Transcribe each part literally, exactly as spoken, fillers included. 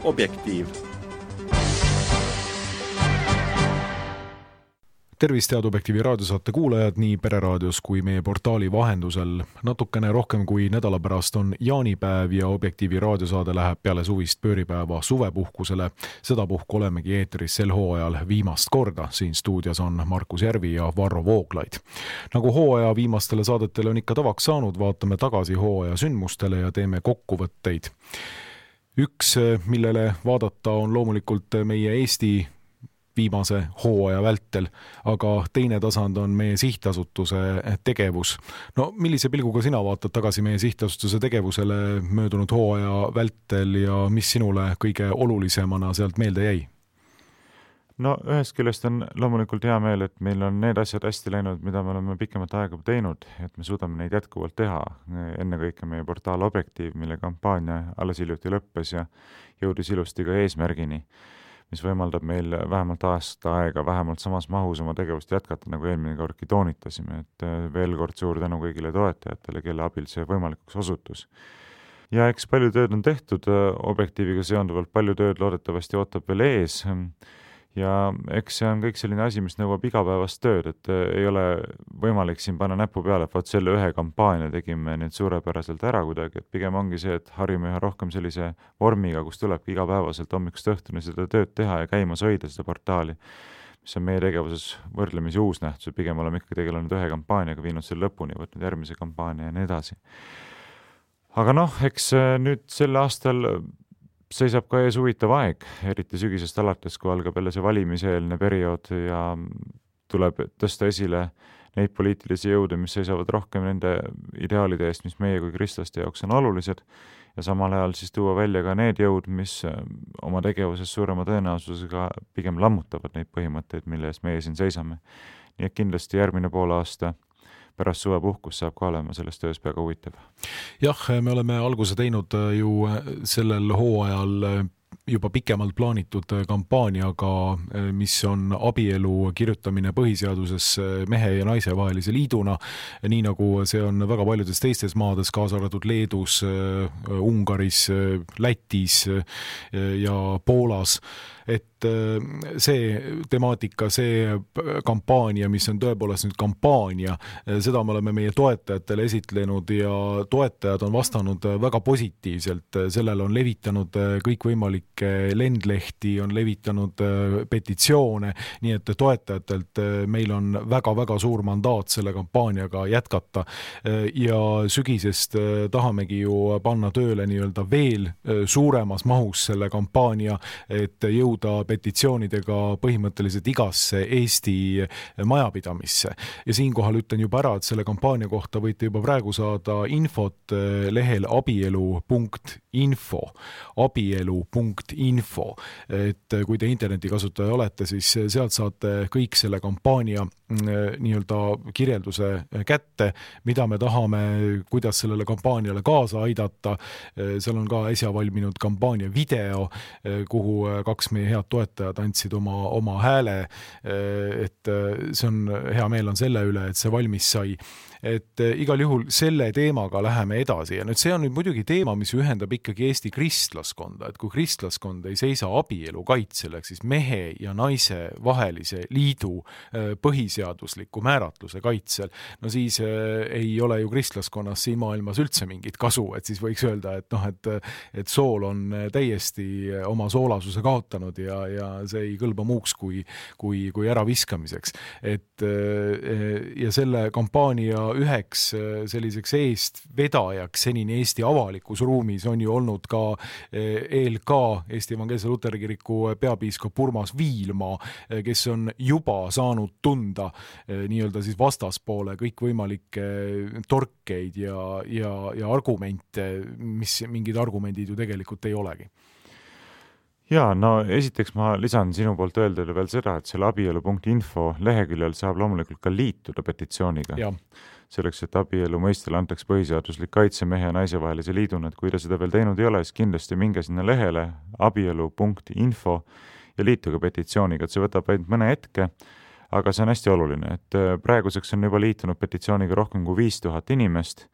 Objektiiv. Tervist, head Objektiivi raadiosaate kuulajad nii Pereraadios kui meie portaali vahendusel. Natukene rohkem kui nädala pärast on jaanipäev ja Objektiivi raadiosaade läheb peale suvist pööripäeva suvepuhkusele. Sedapuhku olemegi eetris sel hooajal viimast korda. Siin stuudios on Markus Järvi ja Varro Vooglaid. Nagu hooaja viimastele saadetele on ikka tavaks saanud, vaatame tagasi hooaja sündmustele ja teeme kokkuvõtteid. Üks, millele vaadata on loomulikult meie Eesti viimase hooaja vältel, aga teine tasand on meie sihtasutuse tegevus. No millise pilguga sina vaatad tagasi meie sihtasutuse tegevusele möödunud hooaja vältel ja mis sinule kõige olulisemana sealt meelde jäi? No ühest küljest on loomulikult hea meel, et meil on need asjad hästi läinud, mida me oleme pikemat aega teinud, et me suudame neid jätkuvalt teha. Enne kõike meie portaal Objektiiv, mille kampaania alles hiljuti lõppes ja jõudis ilusti ka eesmärgini, mis võimaldab meil vähemalt aasta aega, vähemalt samas mahus oma tegevust jätkata, nagu eelmine kordki toonitasime, et veel kord suur tänu kõigile toetajatele, kelle abil see võimalikuks osutus. Ja eks palju tööd on tehtud Objektiiviga seonduvalt, palju tööd loodetavasti ootab veel ees ja eks see on kõik selline asi, mis nõuab igapäevast tööd, et ei ole võimalik siin panna näpu peale, et vaat selle ühe kampaania tegime nüüd suurepäraselt ära kuidagi, et pigem ongi see, et harjume üha rohkem sellise vormiga, kus tulebki igapäevaselt hommikust õhtuni seda tööd teha ja käimas hoida seda portaali, mis on meie tegevuses võrdlemisi uus nähtus, pigem oleme ikka tegelenud ühe kampaaniaga, viinud selle lõpuni, võtnud järgmise kampaania ja nii edasi. Aga noh, eks nüüd sel aastal seisab ka ees huvitav aeg, eriti sügisest alates, kui algab jälle see valimiseelne periood ja tuleb tõsta esile neid poliitilisi jõude, mis seisavad rohkem nende ideaalide eest, mis meie kui kristlaste jaoks on olulised ja samal ajal siis tuua välja ka need jõud, mis oma tegevuses suurema tõenäosusega pigem lammutavad neid põhimõtteid, mille eest meie siin seisame. Nii et kindlasti järgmine pool aasta pärast suvepuhkus saab ka olema sellest töös peaga huvitav. Jah, me oleme alguse teinud ju sellel hooajal juba pikemalt plaanitud kampaaniaga, mis on abielu kirjutamine põhiseaduses mehe ja naise vahelise liiduna, nii nagu see on väga paljudes teistes maades, kaasa arvatud Leedus, Ungaris, Lätis ja Poolas. Et see temaatika, see kampaania, mis on tõepoolest nüüd kampaania, seda me oleme meie toetajatele esitlenud ja toetajad on vastanud väga positiivselt. Sellele on levitanud kõikvõimalikke lendlehti, on levitanud petitsioone, nii et toetajatelt meil on väga-väga suur mandaat selle kampaaniaga jätkata ja sügisest tahamegi ju panna tööle nii-öelda veel suuremas mahus selle kampaania, et jõuda petitsioonidega põhimõtteliselt igasse Eesti majapidamisse. Ja siinkohal ütlen juba ära, et selle kampaania kohta võite juba praegu saada infot lehel abielu punkt info. abielu punkt info. Et kui te internetikasutaja olete, siis sealt saate kõik selle kampaania nii-öelda kirjelduse kätte, mida me tahame, kuidas sellele kampaaniale kaasa aidata. Seal on ka äsja valminud kampaania video, kuhu kaks meie head toetajad andsid oma, oma hääle, et see on, hea meel on selle üle, et see valmis sai. Et igal juhul selle teemaga läheme edasi ja nüüd see on nüüd muidugi teema, mis ühendab ikkagi Eesti kristlaskonda, et kui kristlaskond ei seisa abielu kaitsel, siis mehe ja naise vahelise liidu põhiseadusliku määratluse kaitsel, no siis ei ole ju kristlaskonnas siin maailmas üldse mingit kasu, et siis võiks öelda, et noh, et, et sool on täiesti oma soolasuse kaotanud ja, ja see ei kõlba muuks kui, kui, kui ära viskamiseks. Et, ja selle kampaania üheks selliseks eest vedajaks senini Eesti avalikus ruumis on ju olnud ka E L K, Eesti Evangeelse Luteri Kiriku peapiiskop Urmas Viilma, kes on juba saanud tunda nii-öelda siis vastaspoole kõikvõimalikke torkeid ja, ja, ja argumente, mis mingid argumendid ju tegelikult ei olegi. Jaa, no esiteks ma lisan sinu poolt öeldele veel seda, et selle abielu punkt info leheküljel saab loomulikult ka liituda petitsiooniga. Ja. Selleks, et abielu mõistele antaks põhiseaduslik kaitse mehe ja naise vahelise liiduna, et kui ta seda veel teinud ei ole, siis kindlasti minge sinna lehele abielu punkt info ja liituge petitsiooniga, et see võtab ainult mõne hetke, aga see on hästi oluline, et praeguseks on juba liitunud petitsiooniga rohkem kui viis tuhat inimest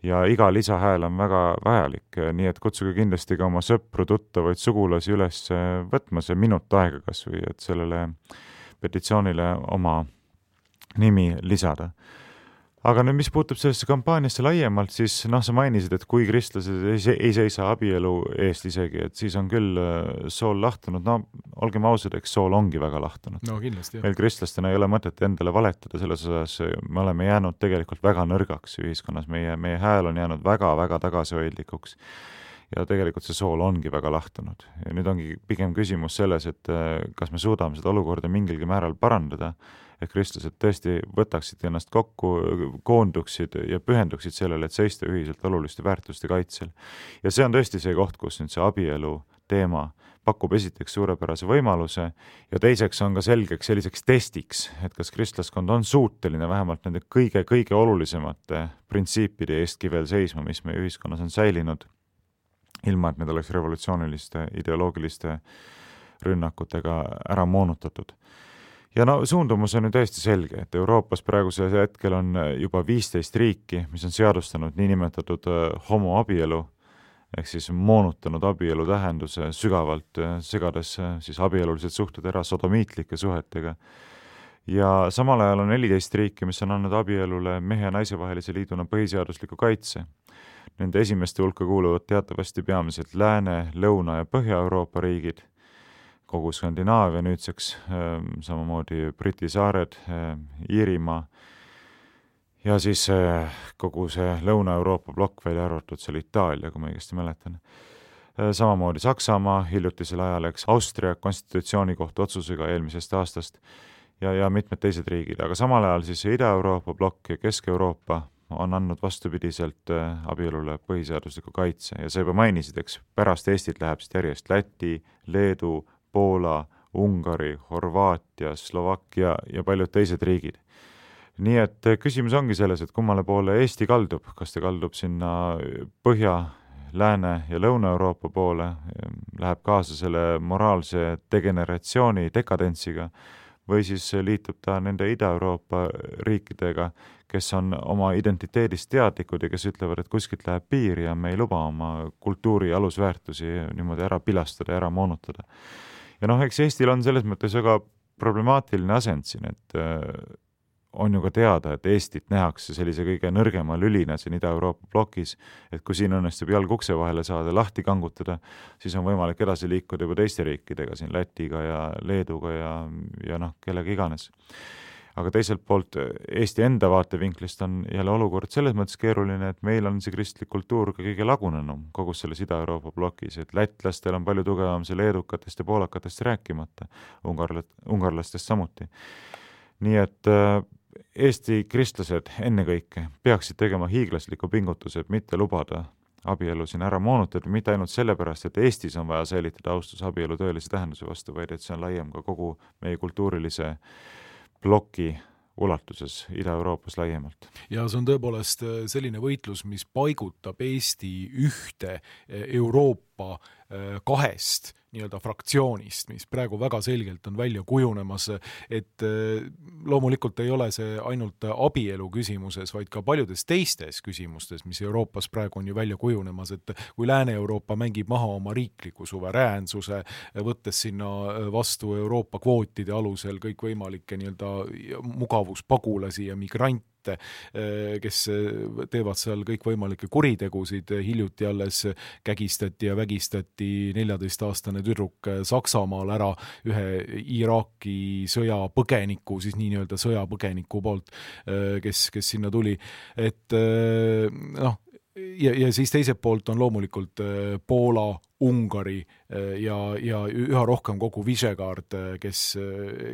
ja iga lisahääl on väga vajalik, nii et kutsuge kindlasti ka oma sõpru, tuttavaid, sugulasi üles võtma see minut aega kas või, et sellele petitsioonile oma nimi lisada. Aga nüüd, mis puutub sellesse kampaaniasse laiemalt, siis noh, sa mainisid, et kui kristlased ei seisa abielu eest isegi, et siis on küll sool lahtunud. No olgem ausad, eks sool ongi väga lahtunud. No kindlasti, jah. Meil kristlastena ei ole mõtet endale valetada selles osas, me oleme jäänud tegelikult väga nõrgaks ühiskonnas, meie, meie hääl on jäänud väga-väga tagasihoidlikuks ja tegelikult see sool ongi väga lahtunud. Ja nüüd ongi pigem küsimus selles, et kas me suudame seda olukorda mingilgi määral parandada, et kristlased tõesti võtaksid ennast kokku, koonduksid ja pühenduksid sellele, et seista ühiselt oluliste väärtuste kaitsel. Ja see on tõesti see koht, kus nüüd see abielu teema pakub esiteks suurepärase võimaluse ja teiseks on ka selgeks selliseks testiks, et kas kristlaskond on suuteline vähemalt nende kõige-kõige olulisemate printsiipide eestki veel seisma, mis meie ühiskonnas on säilinud, ilma et need oleks revolutsiooniliste, ideoloogiliste rünnakutega ära moonutatud. Ja no suundumus on ju täiesti selge, et Euroopas praegusel hetkel on juba viisteist riiki, mis on seadustanud niinimetatud homoabielu, ehk siis moonutanud abielu tähenduse sügavalt, segades siis abielulised suhted ära sodomiitlike suhetega. Ja samal ajal on neliteist riiki, mis on andnud abielule mehe ja naise vahelise liiduna põhiseadusliku kaitse. Nende esimeste hulka kuuluvad teatavasti peamiselt Lääne, Lõuna ja Põhja-Euroopa riigid, kogu Skandinaavia nüüdseks, samamoodi Briti saared, Iirimaa ja siis kogu see Lõuna-Euroopa plokk välja arvatud seal Itaalia, kui ma õigesti mäletan. Samamoodi Saksamaa hiljutisel ajal, eks Austria konstitutsioonikohtu otsusega eelmisest aastast ja, ja mitmed teised riigid, aga samal ajal siis Ida-Euroopa plokk ja Kesk-Euroopa on andnud vastupidiselt abielule põhiseadusliku kaitse ja sa juba mainisid, eks pärast Eestit läheb siit järjest Läti, Leedu, Poola, Ungari, Horvaatia, Slovakkia ja paljud teised riigid. Nii et küsimus ongi selles, et kummale poole Eesti kaldub, kas ta kaldub sinna Põhja, Lääne ja Lõuna-Euroopa poole, läheb kaasa selle moraalse degeneratsiooni dekadentsiga või siis liitub ta nende Ida-Euroopa riikidega, kes on oma identiteedist teadlikud ja kes ütlevad, et kuskilt läheb piir ja me ei luba oma kultuuri alusväärtusi niimoodi ära pilastada ja ära moonutada. Ja noh, eks Eestil on selles mõttes väga problemaatiline asend siin, et on ju ka teada, et Eestit nähakse sellise kõige nõrgema lülina siin Ida-Euroopa plokis, et kui siin õnnestub jalg ukse vahele saada, lahti kangutada, siis on võimalik edasi liikuda juba teiste riikidega, siin Lätiga ja Leeduga ja, ja noh, kellega iganes. Aga teiselt poolt Eesti enda vaatevinklist on jälle olukord selles mõttes keeruline, et meil on see kristlik kultuur ka kõige lagunenum kogu selles Ida-Euroopa plokis, et lätlastel on palju tugevam see leedukatest ja poolakatest rääkimata, ungarlastest samuti. Nii et Eesti kristlased ennekõike peaksid tegema hiiglasliku pingutuse, et mitte lubada abielu siin ära moonutada, mitte ainult sellepärast, et Eestis on vaja säilitada austus abielu tõelise tähenduse vastu, vaid et see on laiem ka kogu meie kultuurilise ploki ulatuses Ida-Euroopas laiemalt. Ja see on tõepoolest selline võitlus, mis paigutab Eesti ühte Euroopa kahest nii-öelda fraktsioonist, mis praegu väga selgelt on välja kujunemas, et loomulikult ei ole see ainult abielu küsimuses, vaid ka paljudes teistes küsimustes, mis Euroopas praegu on ju välja kujunemas, et kui Lääne-Euroopa mängib maha oma riikliku suveräänsuse, võttes sinna vastu Euroopa kvootide alusel kõikvõimalikke nii-öelda mugavuspagulasi ja migrante, kes teevad seal kõikvõimalikke kuritegusid, hiljuti alles kägistati ja vägistati neljateist-aastane tüdruk Saksamaal ära ühe Iraaki sõjapõgeniku, siis nii nii-öelda sõjapõgeniku poolt, kes, kes sinna tuli. Et noh, ja, ja siis teiselt poolt on loomulikult Poola, Ungari ja, ja üha rohkem kogu Visegrad, kes,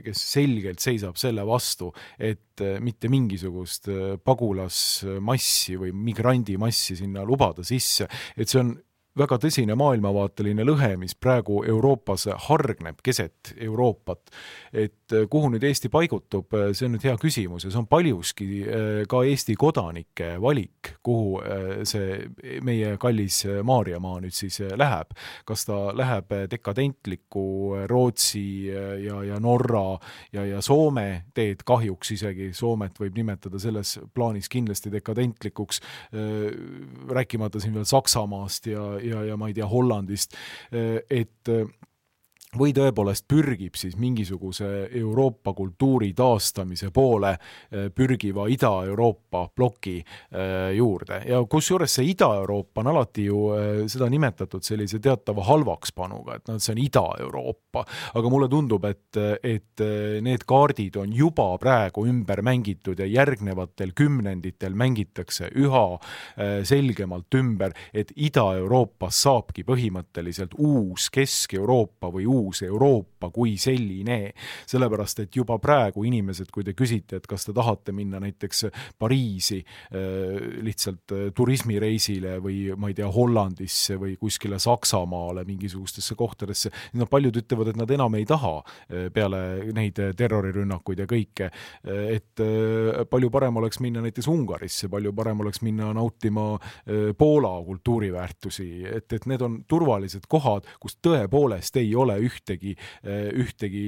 kes selgelt seisab selle vastu, et mitte mingisugust pagulasmassi või migrandimassi sinna lubada sisse, et see on väga tõsine maailmavaateline lõhe, mis praegu Euroopas hargneb keset Euroopat, et et kuhu nüüd Eesti paigutub, see on nüüd hea küsimus ja see on paljuski ka Eesti kodanike valik, kuhu see meie kallis Maarjamaa nüüd siis läheb. Kas ta läheb dekadentliku Rootsi ja, ja Norra ja, ja Soome teed, kahjuks isegi Soomet võib nimetada selles plaanis kindlasti dekadentlikuks, rääkimata siin veel Saksamaast ja, ja, ja ma ei tea, Hollandist, et või tõepoolest pürgib siis mingisuguse Euroopa kultuuri taastamise poole pürgiva Ida-Euroopa ploki juurde. Ja kus juures see Ida-Euroopa on alati ju seda nimetatud sellise teatava halvakspanuga, et no, see on Ida-Euroopa. Aga mulle tundub, et, et need kaardid on juba praegu ümber mängitud ja järgnevatel kümnenditel mängitakse üha selgemalt ümber, et Ida-Euroopas saabki põhimõtteliselt uus Kesk-Euroopa või uus uus Euroopa kui selline, sellepärast et juba praegu inimesed, kui te küsite, et kas te tahate minna näiteks Pariisi lihtsalt turismireisile või ma ei tea, Hollandisse või kuskile Saksamaale mingisugustesse kohtadesse, no paljud ütlevad, et nad enam ei taha peale neid terrorirünnakuid ja kõike, et palju parem oleks minna näiteks Ungarisse, palju parem oleks minna nautima Poola kultuuriväärtusi, et, et need on turvalised kohad, kus tõepoolest ei ole ühtegi, ühtegi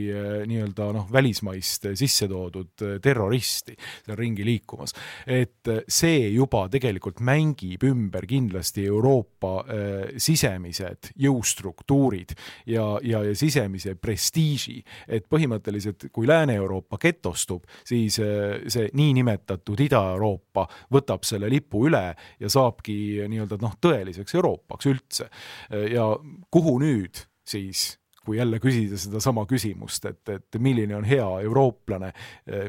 nii-öelda noh, välismaist sisse toodud terroristi seal ringi liikumas. Et see juba tegelikult mängib ümber kindlasti Euroopa äh, sisemised jõustruktuurid ja, ja, ja sisemise prestiiži, et põhimõtteliselt kui Lääne-Euroopa getostub, siis äh, see niinimetatud Ida-Euroopa võtab selle lipu üle ja saabki nii-öelda noh, tõeliseks Euroopaks üldse. Ja kuhu nüüd siis kui jälle küsida seda sama küsimust, et, et milline on hea eurooplane,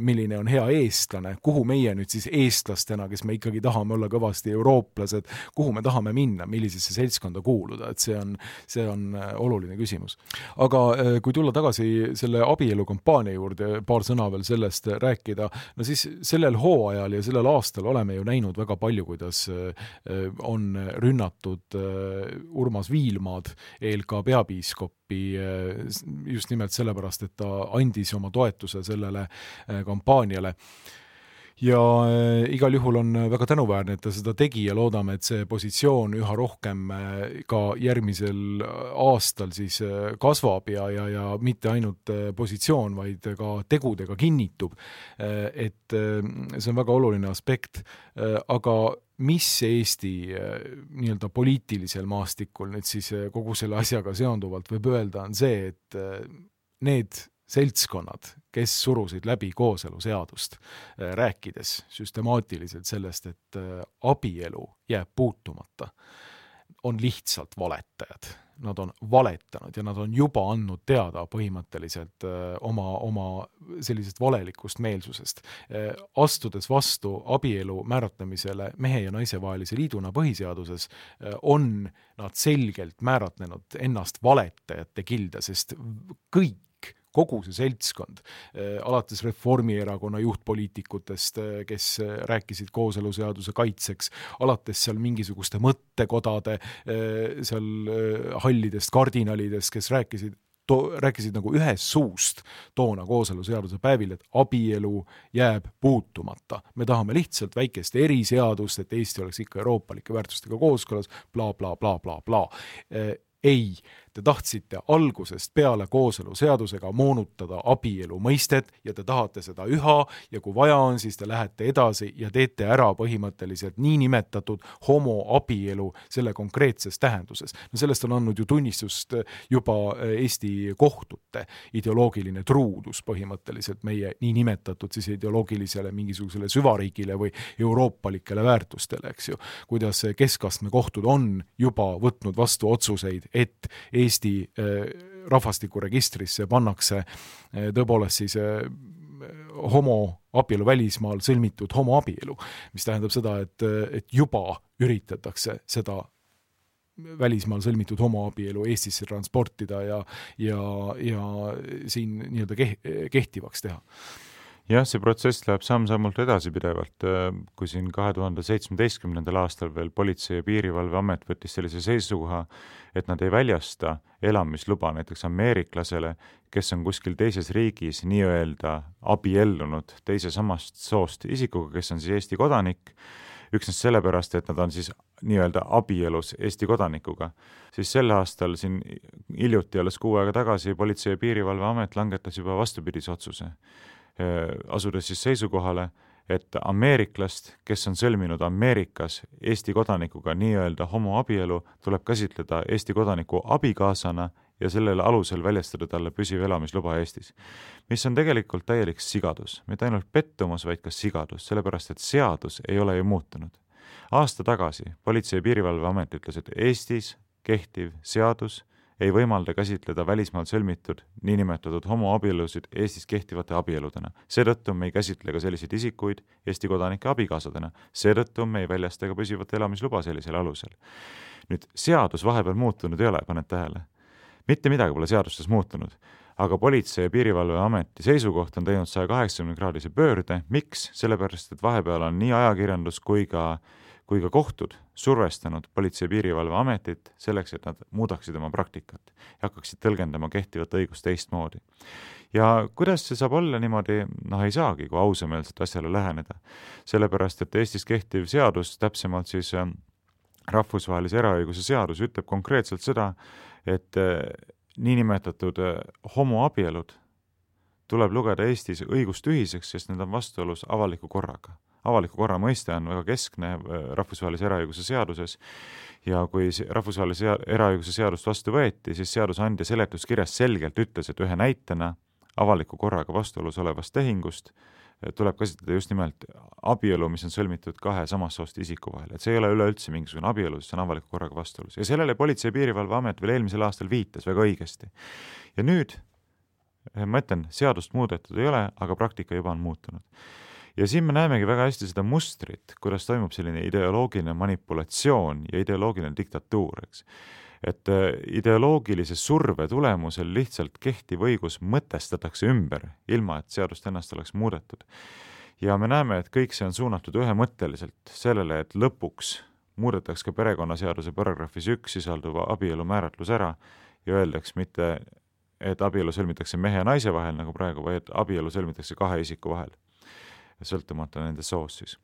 milline on hea eestlane, kuhu meie nüüd siis eestlastena, kes me ikkagi tahame olla kõvasti eurooplased, kuhu me tahame minna, millisesse seltskonda kuuluda, et see on, see on oluline küsimus. Aga kui tulla tagasi selle abielukampaania juurde, paar sõna veel sellest rääkida, no siis sellel hooajal ja sellel aastal oleme ju näinud väga palju, kuidas on rünnatud Urmas Viilmaad, E L K peapiiskop, just nimelt sellepärast, et ta andis oma toetuse sellele kampaaniale. Ja igal juhul on väga tänuväärne, et ta seda tegi ja loodame, et see positsioon üha rohkem ka järgmisel aastal siis kasvab ja, ja, ja mitte ainult positsioon, vaid ka tegudega kinnitub. Et see on väga oluline aspekt, aga mis Eesti nii-öelda poliitilisel maastikul nüüd siis kogu selle asjaga seonduvalt võib öelda, on see, et need seltskonnad, kes surusid läbi kooseluseadust, rääkides süstemaatiliselt sellest, et abielu jääb puutumata, on lihtsalt valetajad. Nad on valetanud ja nad on juba andnud teada põhimõtteliselt oma, oma sellisest valelikust meelsusest. Astudes vastu abielu määratlemisele mehe ja naise vahelise liiduna põhiseaduses, on nad selgelt määratlenud ennast valetajate kilda, sest kõik kogu see seltskond, alates Reformierakonna juhtpoliitikutest, kes rääkisid kooseluseaduse kaitseks, alates seal mingisuguste mõttekodade, seal hallidest kardinalidest, kes rääkisid, to, rääkisid nagu ühes suust toona kooseluseaduse päevil, et abielu jääb puutumata. Me tahame lihtsalt väikest eriseadust, et Eesti oleks ikka euroopalike väärtustega kooskõlas, bla, bla, bla, bla, bla. Ei, te tahtsite algusest peale kooseluseadusega moonutada abielu mõistet ja te tahate seda üha ja kui vaja on, siis te lähete edasi ja teete ära põhimõtteliselt niinimetatud homoabielu selle konkreetses tähenduses. No sellest on andnud ju tunnistust juba Eesti kohtute ideoloogiline truudus põhimõtteliselt meie niinimetatud siis ideoloogilisele mingisugusele süvariigile või euroopalikele väärtustele, eks ju. Kuidas keskastme kohtud on juba võtnud vastu otsuseid, et Eesti rahvastikuregistrisse pannakse tõepoolest siis homoabielu välismaal sõlmitud homoabielu, mis tähendab seda, et, et juba üritatakse seda välismaal sõlmitud homoabielu Eestisse transportida ja, ja, ja siin nii-öelda kehtivaks teha. jah, see protsess läheb samm-sammult edasi pidevalt, kui siin kahe tuhande seitsmeteistkümnendal aastal veel Politsei- ja Piirivalveamet võttis sellise seisukoha, et nad ei väljasta elamisluba näiteks ameeriklasele, kes on kuskil teises riigis nii-öelda abiellunud teise samast soost isikuga, kes on siis Eesti kodanik, üksnes sellepärast, et nad on siis nii-öelda abielus Eesti kodanikuga. Siis sel aastal siin hiljuti alles kuu aega tagasi Politsei- ja Piirivalveamet langetas juba vastupidise otsuse, asudes siis seisukohale, et ameeriklast, kes on sõlminud Ameerikas Eesti kodanikuga nii-öelda homoabielu, tuleb käsitleda Eesti kodaniku abikaasana ja sellele alusel väljastada talle püsiv elamisluba Eestis. Mis on tegelikult täielik sigadus, mitte ainult pettumus, vaid ka sigadus, sellepärast et seadus ei ole ju muutunud. Aasta tagasi Politsei- ja Piirivalveamet ütles, et Eestis kehtiv seadus ei võimalda käsitleda välismaal sõlmitud niinimetatud homoabielusid Eestis kehtivate abieludena. Seetõttu me ei käsitle ka selliseid isikuid Eesti kodanike abikaasadena. Seetõttu me ei väljasta ka püsivat elamisluba sellisel alusel. Nüüd, seadus vahepeal muutunud ei ole, paned tähele. Mitte midagi pole seadustes muutunud, aga Politsei- ja Piirivalveameti seisukoht on teinud saja kaheksakümne kraadise pöörde. Miks? Sellepärast, et vahepeal on nii ajakirjandus kui ka kui ka kohtud survestanud Politsei- ja Piirivalveametit selleks, et nad muudaksid oma praktikat ja hakkaksid tõlgendama kehtivat õigust teistmoodi. Ja kuidas see saab olla niimoodi, noh ei saagi, kui ausameelselt asjale läheneda. Sellepärast, et Eestis kehtiv seadus, täpsemalt siis rahvusvahelise eraõiguse seadus, ütleb konkreetselt seda, et niinimetatud homoabielud tuleb lugeda Eestis õigustühiseks, sest need on vastuolus avaliku korraga. Avaliku korra mõiste on väga keskne rahvusvahelise eraõiguse seaduses ja kui rahvusvahelise eraõiguse seadust vastu võeti, siis seadusandja seletuskirjas selgelt ütles, et ühe näitena avaliku korraga vastuolus olevast tehingust tuleb käsitleda just nimelt abielu, mis on sõlmitud kahe samast soost isiku vahel. Et see ei ole üleüldse mingisugune abielu, see on avaliku korraga vastuolus. Ja sellele Politsei- ja Piirivalveamet veel eelmisel aastal viitas väga õigesti. Ja nüüd, ma ütlen, seadust muudetud ei ole, aga praktika juba on muutunud. Ja siin me näemegi väga hästi seda mustrit, kuidas toimub selline ideoloogiline manipulatsioon ja ideoloogiline diktatuur, eks. Et ideoloogilise surve tulemusel lihtsalt kehtiv õigus mõtestatakse ümber, ilma et seadust ennast oleks muudetud. Ja me näeme, et kõik see on suunatud ühemõtteliselt sellele, et lõpuks muudetakse ka perekonnaseaduse paragrahvis üks sisalduva abielu määratlus ära ja öeldaks mitte, et abielu sõlmitakse mehe ja naise vahel nagu praegu, vaid abielu sõlmitakse kahe isiku vahel, sõltumata nende soos siis.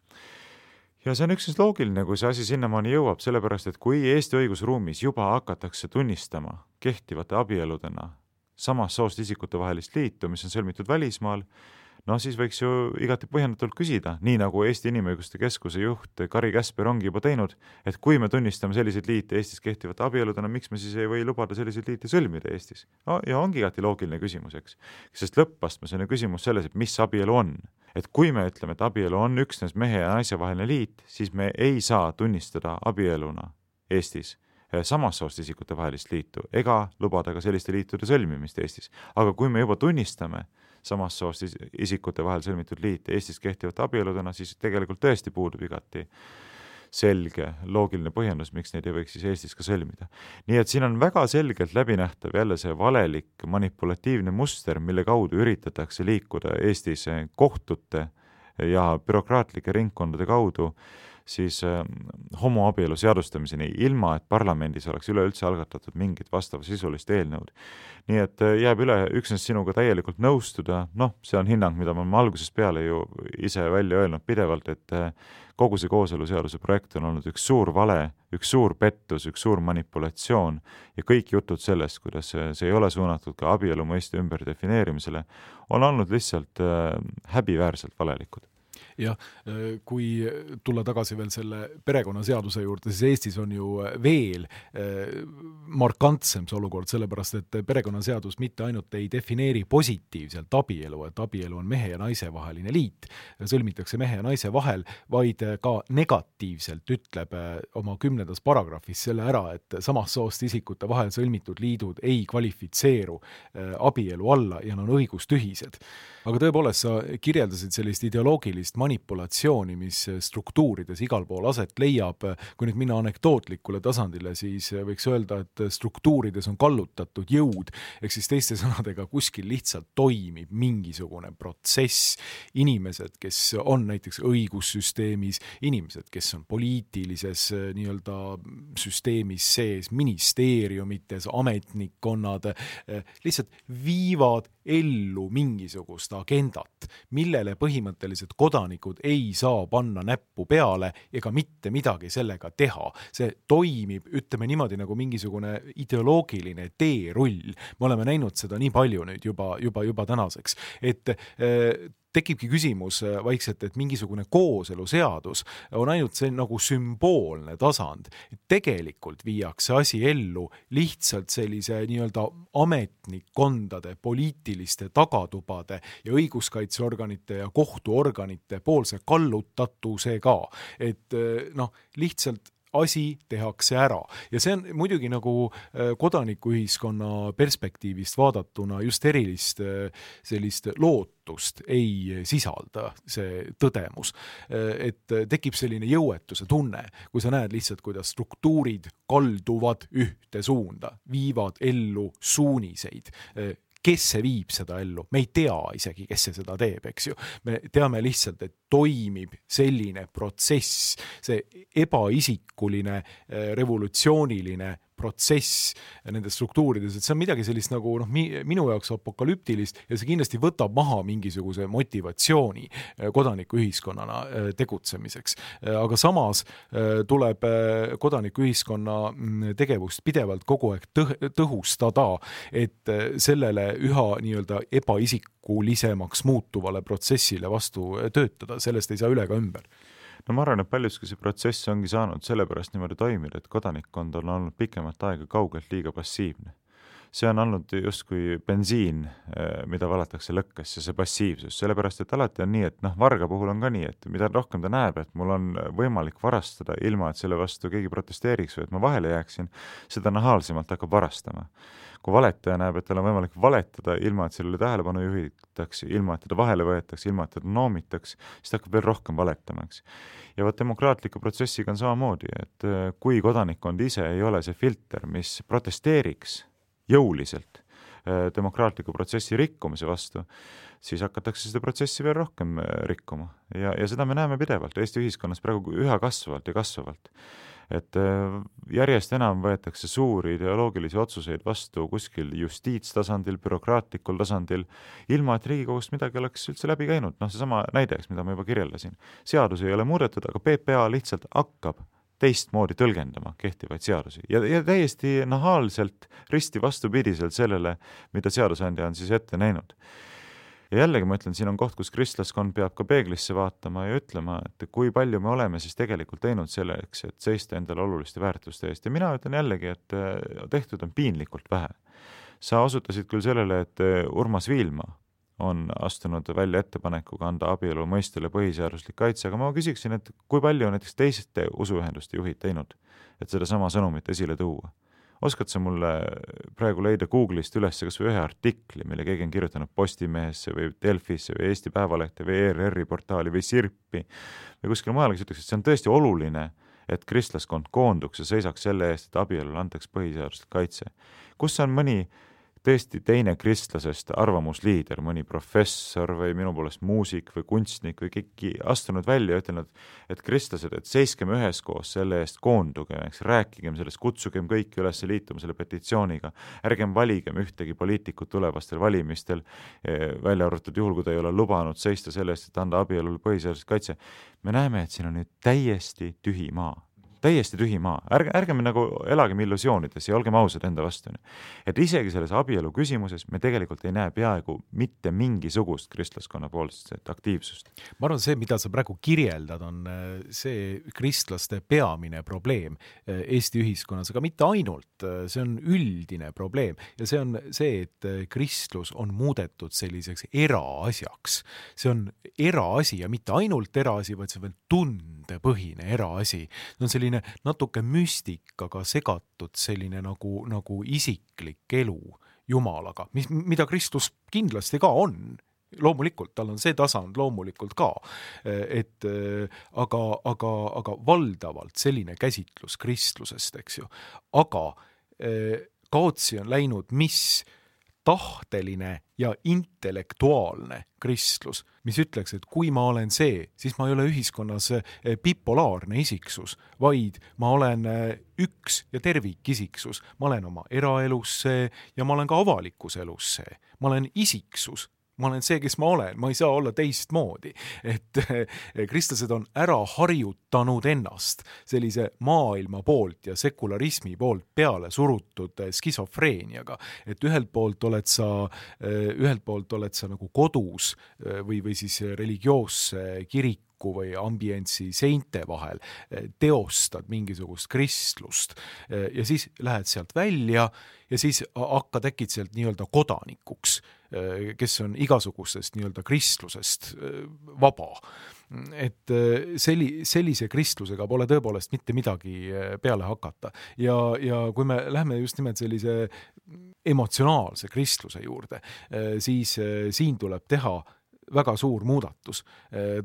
Ja see on üksnes loogiline, kui see asi sinnamaani jõuab, sellepärast, et kui Eesti õigusruumis juba hakatakse tunnistama kehtivate abieludena samast soost isikute vahelist liitu, mis on sõlmitud välismaal, no siis võiks ju igati põhjendatult küsida, nii nagu Eesti Inimõiguste Keskuse juht Kari Käsper ongi juba teinud, et kui me tunnistame selliseid liite Eestis kehtivate abieludena, miks me siis ei või lubada selliseid liite sõlmida Eestis? No, ja ongi igati loogiline küsimus, eks. Sest lõppastmes on küsimus selles, et mis abielu on. Et kui me ütleme, et abielu on üksnes mehe ja naise vaheline liit, siis me ei saa tunnistada abieluna Eestis samast soost isikute vahelist liitu ega lubada ka selliste liitude sõlmimist Eestis. Aga kui me juba tunnistame samast soost isikute vahel sõlmitud liit Eestis kehtivate abieludena, siis tegelikult tõesti puudub igati selge, loogiline põhjendus, miks neid ei võiks siis Eestis ka sõlmida. Nii et siin on väga selgelt läbinähtav jälle see valeliik, manipulatiivne muster, mille kaudu üritatakse liikuda Eestis kohtute ja bürokraatlike ringkondade kaudu siis homoabielu seadustamiseni, ilma et parlamendis oleks üleüldse algatatud mingit vastavasisulist eelnõud. Nii et jääb üle üksnes sinuga täielikult nõustuda, noh, see on hinnang, mida ma algusest peale ju ise välja öelnud pidevalt, et kogu see kooseluseaduse projekt on olnud üks suur vale, üks suur pettus, üks suur manipulatsioon ja kõik jutud sellest, kuidas see ei ole suunatud ka abielu mõiste ümber defineerimisele, on olnud lihtsalt häbiväärselt valelikud. jah, kui tulla tagasi veel selle perekonnaseaduse juurde, siis Eestis on ju veel markantsem see olukord, sellepärast et perekonnaseadus mitte ainult ei defineeri positiivselt abielu, et abielu on mehe ja naise vaheline liit, sõlmitakse mehe ja naise vahel, vaid ka negatiivselt ütleb oma kümnendas paragrahvis selle ära, et samast soost isikute vahel sõlmitud liidud ei kvalifitseeru abielu alla ja on õigustühised. Aga tõepoolest, sa kirjeldasid sellist ideoloogilist manipulatsiooni, mis struktuurides igal pool aset leiab. Kui nüüd minna anekdootlikule tasandile, siis võiks öelda, et struktuurides on kallutatud jõud, ehk siis teiste sõnadega kuskil lihtsalt toimib mingisugune protsess. Inimesed, kes on näiteks õigussüsteemis, inimesed, kes on poliitilises nii-öelda süsteemis sees, ministeeriumites, ametnikkonnad, lihtsalt viivad ellu mingisugust agendat, millele põhimõtteliselt kodanikud ei saa panna näppu peale ega mitte midagi sellega teha. See toimib, ütleme niimoodi, nagu mingisugune ideoloogiline teerull. Me oleme näinud seda nii palju nüüd juba, juba, juba tänaseks, et äh, tekibki küsimus vaikselt, et mingisugune kooseluseadus on ainult see nagu sümboolne tasand. Tegelikult viiakse asi ellu lihtsalt sellise nii-öelda ametnikkondade, poliitiliste tagatubade ja õiguskaitseorganite ja kohtuorganite poolse kallutatusega. Et noh, lihtsalt asi tehakse ära. Ja see on muidugi nagu kodanikuühiskonna perspektiivist vaadatuna just erilist sellist lootust ei sisalda see tõdemus. Et tekib selline jõuetuse tunne, kui sa näed lihtsalt, kuidas struktuurid kalduvad ühte suunda, viivad ellu suuniseid. Kes see viib seda ellu? Me ei tea isegi, kes see seda teeb, eks ju. Me teame lihtsalt, et toimib selline protsess, see ebaisikuline, revolutsiooniline protsess nendes struktuurides, et see on midagi sellist nagu noh, minu jaoks apokalüptilist ja see kindlasti võtab maha mingisuguse motivatsiooni kodanikuühiskonnana tegutsemiseks. Aga samas tuleb kodanikuühiskonna tegevust pidevalt kogu aeg tõhustada, et sellele üha nii-öelda ebaisikulisemaks muutuvale protsessile vastu töötada. Sellest ei saa üle ka ümber. No ma arvan, et paljuski see protsess ongi saanud sellepärast niimoodi toimida, et kodanikkond on olnud pikemat aega kaugelt liiga passiivne. See on olnud justkui bensiin, mida valatakse lõkkesse, see passiivsus, sellepärast, et alati on nii, et noh, varga puhul on ka nii, et mida rohkem ta näeb, et mul on võimalik varastada ilma, et selle vastu keegi protesteeriks või et ma vahele jääksin, seda nahaalsemalt hakkab varastama. Kui valetaja näeb, et tal on võimalik valetada ilma, et sellele tähelepanu juhitakse, ilma, et teda vahele võetakse, ilma, et teda noomitaks, siis ta hakkab veel rohkem valetama. Ja võt demokraatliku protsessiga on samamoodi, et kui kodanikkond ise ei ole see filter, mis protesteeriks jõuliselt demokraatliku protsessi rikkumise vastu, siis hakatakse seda protsessi veel rohkem rikkuma. Ja, ja seda me näeme pidevalt Eesti ühiskonnas praegu üha kasvavalt ja kasvavalt. Et järjest enam võetakse suuri ideoloogilisi otsuseid vastu kuskil justiitstasandil, bürokraatlikul tasandil, ilma et Riigikogust midagi oleks üldse läbi käinud. Noh, see sama näideks, mida ma juba kirjeldasin. Seadus ei ole muudetud, aga P P A lihtsalt hakkab teistmoodi tõlgendama kehtivaid seadusi ja, ja täiesti nahaalselt risti vastupidiselt sellele, mida seadusandja on siis ette näinud. Ja jällegi ma ütlen, siin on koht, kus kristlaskond peab ka peeglisse vaatama ja ütlema, et kui palju me oleme siis tegelikult teinud selleks, et seista endale oluliste väärtuste eest. Ja mina ütlen jällegi, et tehtud on piinlikult vähe. Sa osutasid küll sellele, et Urmas Viilma on astunud välja ettepanekuga anda abielu mõistele põhiseaduslik kaitse, aga ma küsiksin, et kui palju on näiteks teiste usuühenduste juhid teinud, et seda sama sõnumit esile tuua. Oskad sa mulle praegu leida Google'ist üles kas või ühe artikli, mille keegi on kirjutanud Postimehesse või Delfisse või Eesti Päevalehte või E R R-i portaali või Sirpi või kuskil mujal, kes ütleks, et see on tõesti oluline, et kristlaskond koonduks ja seisaks selle eest, et abielule antaks põhiseaduslik kaitse. Kus on mõni tõesti teine kristlasest arvamusliider, mõni professor või minu poolest muusik või kunstnik või keegi astunud välja ja ütelnud, et kristlased, et seiskeme üheskoos selle eest, koonduge, eks, rääkigem sellest, kutsugem kõiki üles liituma selle petitsiooniga, ärgem valigem ühtegi poliitikut tulevastel valimistel, välja arvatud juhul, kui ta ei ole lubanud seista selle eest, et anda abielule põhiseaduslik kaitse. Me näeme, et siin on nüüd täiesti tühi maa. täiesti tühi maa. Ärge, ärgem nagu elagem illusioonides ja olgem ausad enda vastu. Et isegi selles abielu küsimuses me tegelikult ei näe peaaegu mitte mingisugust kristlaskonna poolset aktiivsust. Ma arvan, see, mida sa praegu kirjeldad, on see kristlaste peamine probleem Eesti ühiskonnas, aga mitte ainult. See on üldine probleem ja see on see, et kristlus on muudetud selliseks eraasjaks. See on eraasi ja mitte ainult eraasi, vaid see on veel tundepõhine eraasi. See on selline natuke müstikaga segatud selline nagu, nagu isiklik elu Jumalaga, mis, mida Kristus kindlasti ka on. loomulikult, tal on see tasand loomulikult ka, et aga, aga, aga valdavalt selline käsitlus kristlusest, eks ju, aga kaotsi on läinud mis tahteline ja intellektuaalne kristlus, mis ütleks, et kui ma olen see, siis ma ei ole ühiskonnas bipolaarne isiksus, vaid ma olen üks ja tervikisiksus. Ma olen oma eraelus see ja ma olen ka avalikus elus see. Ma olen isiksus. Ma olen see, kes ma olen, ma ei saa olla teistmoodi. Et kristlased on ära harjutanud ennast sellise maailma poolt ja sekularismi poolt peale surutud skisofreeniaga. Et ühelt poolt oled sa, ühelt poolt oled sa nagu kodus või, või siis religioosse kiriku või ambientsi seinte vahel, teostad mingisugust kristlust ja siis lähed sealt välja ja siis hakkad äkid sealt nii-öelda kodanikuks, kes on igasugustest nii-öelda kristlusest vaba. Et selli, sellise kristlusega pole tõepoolest mitte midagi peale hakata. Ja, ja kui me lähme just nimelt sellise emotsionaalse kristluse juurde, siis siin tuleb teha väga suur muudatus.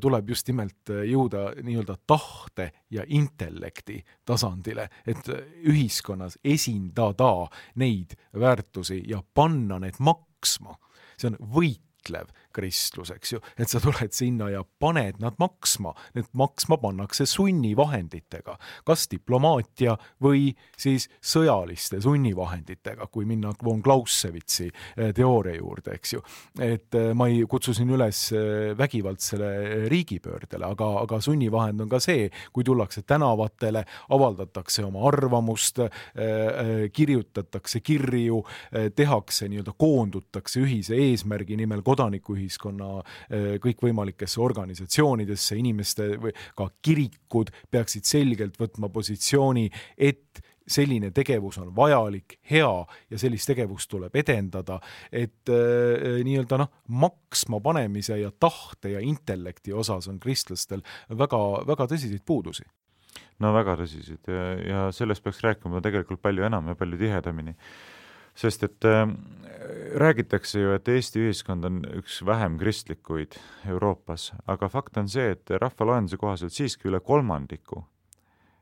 Tuleb just nimelt jõuda nii-öelda tahte ja intellekti tasandile, et ühiskonnas esindada neid väärtusi ja panna need maksma. See on võitlev kristlus, eks ju, et sa tuled sinna ja paned nad maksma. Need maksma pannakse sunnivahenditega, kas diplomaatia või siis sõjaliste sunnivahenditega, kui minna von Clausewitsi teooria juurde, eks ju. Et ma ei kutsusin üles vägivaldsele riigipöördele, aga, aga sunnivahend on ka see, kui tullakse tänavatele, avaldatakse oma arvamust, kirjutatakse kirju, tehakse nii-öelda koondutakse ühise eesmärgi nimel kodaniku ühiskonna kõikvõimalikesse organisatsioonidesse, inimeste või ka kirikud peaksid selgelt võtma positsiooni, et selline tegevus on vajalik, hea ja sellist tegevust tuleb edendada, et äh, nii-öelda noh, maksma panemise ja tahte ja intellekti osas on kristlastel väga, väga tõsiseid puudusi. No väga tõsiseid ja, ja sellest peaks rääkima tegelikult palju enam ja palju tihedamini. Sest et äh, räägitakse ju, et Eesti ühiskond on üks vähem kristlikuid Euroopas, aga fakt on see, et rahvaloenduse kohaselt siiski üle kolmandiku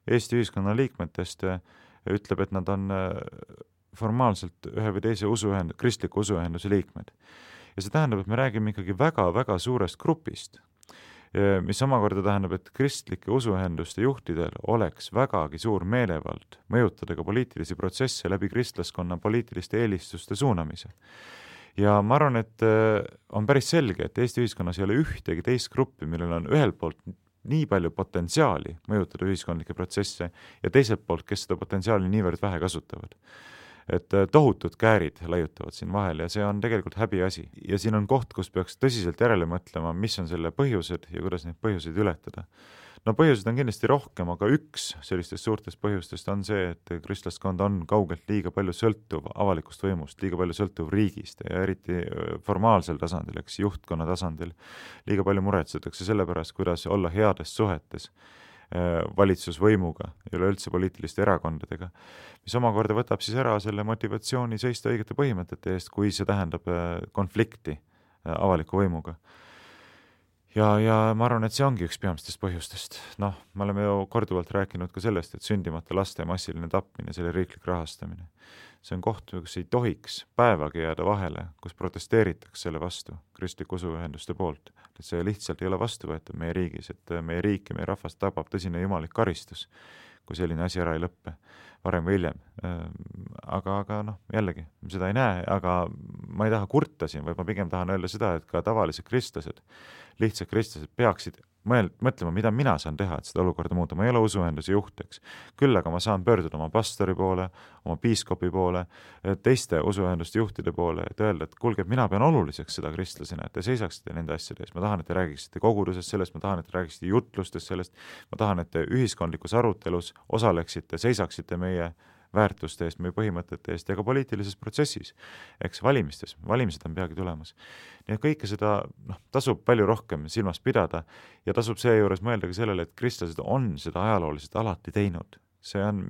Eesti ühiskonna liikmetest ütleb, et nad on formaalselt ühe või teise usuühend, kristliku usuühenduse liikmed. Ja see tähendab, et me räägime ikkagi väga-väga suurest grupist, mis omakorda tähendab, et kristlike usuühenduste juhtidel oleks vägagi suur meelevald mõjutada ka poliitilisi protsesse läbi kristlaskonna poliitiliste eelistuste suunamise. Ja ma arvan, et on päris selge, et Eesti ühiskonnas ei ole ühtegi teist gruppi, millel on ühelt poolt nii palju potentsiaali mõjutada ühiskondlikke protsesse ja teiselt poolt, kes seda potentsiaali niivõrd vähe kasutavad. Et tohutud käärid laiutavad siin vahel ja see on tegelikult häbiasi. Ja siin on koht, kus peaks tõsiselt järele mõtlema, mis on selle põhjused ja kuidas neid põhjuseid ületada. No põhjused on kindlasti rohkem, aga üks sellistest suurtest põhjustest on see, et kristlaskond on kaugelt liiga palju sõltuv avalikust võimust, liiga palju sõltuv riigist ja eriti formaalsel tasandil, eks juhtkonna tasandil liiga palju muretsetakse selle pärast, kuidas olla heades suhetes valitsusvõimuga ja üleüldse poliitiliste erakondadega, mis omakorda võtab siis ära selle motivatsiooni seista õigete põhimõtete eest, kui see tähendab konflikti avaliku võimuga. Ja, ja ma arvan, et see ongi üks peamistest põhjustest. Noh, me oleme ju korduvalt rääkinud ka sellest, et sündimata laste massiline tapmine, selle riiklik rahastamine. See on koht, kus ei tohiks päevagi jääda vahele, kus protesteeritakse selle vastu kristliku usuühenduste poolt. Et see lihtsalt ei ole vastuvõetav meie riigis, et meie riik ja meie rahvast tabab tõsine jumalik karistus, kui selline asi ära ei lõppe varem või hiljem. Aga, aga noh, jällegi, seda ei näe, aga ma ei taha kurta siin, vaid ma pigem tahan öelda seda, et ka tavalised kristlased, lihtsad kristlased peaksid mõel, mõtlema, mida mina saan teha, et seda olukorda muuta. Ma ei ole usuühenduse juht, eks. Küll aga ma saan pöörduda oma pastori poole, oma piiskopi poole, teiste usuühenduste juhtide poole, et öelda, et kuulge, et mina pean oluliseks seda kristlasena, et te seisaksite nende asjade eest. Ma tahan, et te räägiksite kogudusest sellest, ma tahan, et te räägiksite jutlustest sellest, ma tahan, et te ühiskondlikus arutelus osaleksite, seisaksite meie väärtuste eest, meie põhimõtete eest ja ka poliitilises protsessis, eks valimistes, valimised on peagi tulemas. Nii et kõike seda noh, tasub palju rohkem silmas pidada ja tasub seejuures mõelda ka sellele, et kristlased on seda ajalooliselt alati teinud. see on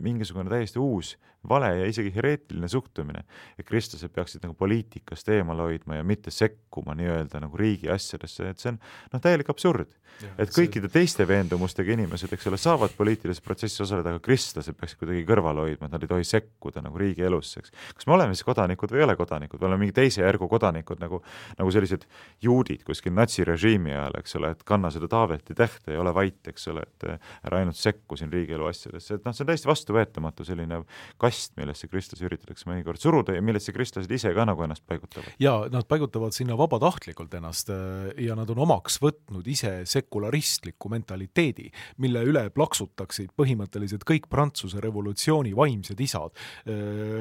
mingisugune täiesti uus vale ja isegi hereetiline suhtumine, et kristlased peaksid nagu poliitikast eemal hoidma ja mitte sekkuma nii-öelda nagu riigi asjadesse, et see on noh, täielik absurd. Ja, et kõikide see... teiste veendumustega inimesed, eks ole, saavad poliitilises protsessis osaleda, aga kristlased peaksid kuidagi kõrval hoidma, et nad ei tohi sekkuda nagu riigi elusse. Kas me oleme siis kodanikud või ei ole kodanikud? Me oleme mingi teise järgu kodanikud, nagu, nagu sellised juudid kuskil natsirežiimi ajal, eks ole, et kanna seda Taaveti tähte ja ole vait, eks ole, et ära ainult sekku siin riigielu asjadesse. Et noh, see on täiesti vastuvõetamatu selline kast, millesse kristlasi üritatakse mõnikord suruda ja millesse kristlased ise ka nagu ennast paigutavad. Ja nad paigutavad sinna vabatahtlikult ennast ja nad on omaks võtnud ise sekularistliku mentaliteedi, mille üle plaksutaksid põhimõtteliselt kõik Prantsuse revolutsiooni vaimsed isad,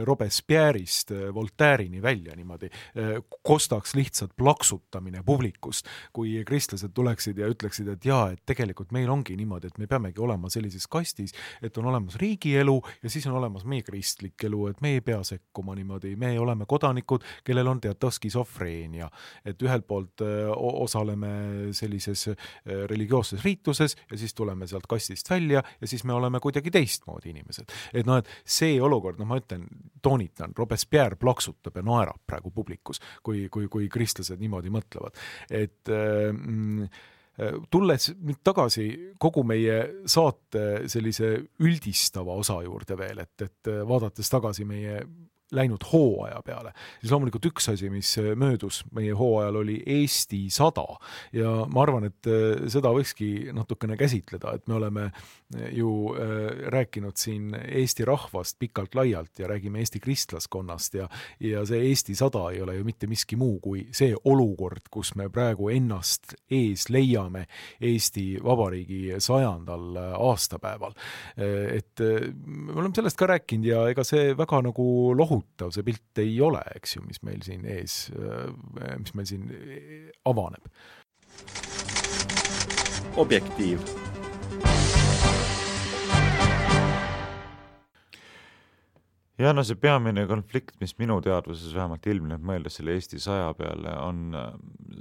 Robespierre'ist Voltaire'ini välja niimoodi, kostaks lihtsalt plaksutamine publikust, kui kristlased tuleksid ja ütleksid, et jaa, et tegelikult meil ongi niimoodi, et me peamegi olema sellises kastis, et on olemas riigielu ja siis on olemas meie kristlik elu, et me ei pea sekkuma niimoodi, me oleme kodanikud, kellel on teatav skisofreenia, et ühelt poolt osaleme sellises religioosses riituses ja siis tuleme sealt kastist välja ja siis me oleme kuidagi teistmoodi inimesed. Et noh, et see olukord, no ma ütlen, toonitan, Robespierre plaksutab ja naerab praegu publikus, kui, kui, kui kristlased niimoodi mõtlevad. Et mm, tulles nüüd tagasi kogu meie saate sellise üldistava osa juurde veel, et, et vaadates tagasi meie läinud hooaja peale, siis loomulikult üks asi, mis möödus meie hooajal oli Eesti sada ja ma arvan, et seda võikski natukene käsitleda, et me oleme ju rääkinud siin Eesti rahvast pikalt laialt ja räägime Eesti kristlaskonnast ja, ja see Eesti sada ei ole ju mitte miski muu kui see olukord, kus me praegu ennast ees leiame Eesti Vabariigi sajandal aastapäeval. Et me oleme sellest ka rääkinud ja ega see väga nagu lohu see pilt ei ole, eks ju, mis meil siin ees, mis meil siin avaneb. Objektiiv. Ja no see peamine konflikt, mis minu teadvuses vähemalt ilmneb mõeldes selle Eesti saja peale, on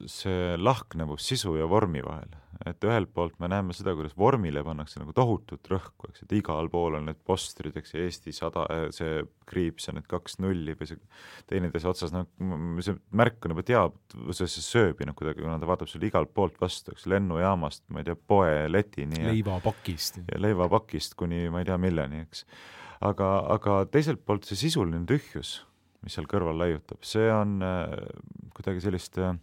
see lahknevus sisu ja vormi vahel. Et ühelt poolt me näeme seda, kuidas vormile pannakse nagu tohutut rõhku, eks, et igal pool on need postrid, eks, Eesti sada, see kriips ja need kaks nulli või see teine teise otsas, no see märk on juba teab, see sööbi noh, kuidagi, kuna ta vaatab sulle igalt poolt vastu, eks, lennujaamast, ma ei tea, poe letini ja leivapakist ja leivapakist kuni ma ei tea milleni, eks. Aga, aga teiselt poolt see sisuline tühjus, mis seal kõrval laiutab, see on äh, kuidagi sellist äh,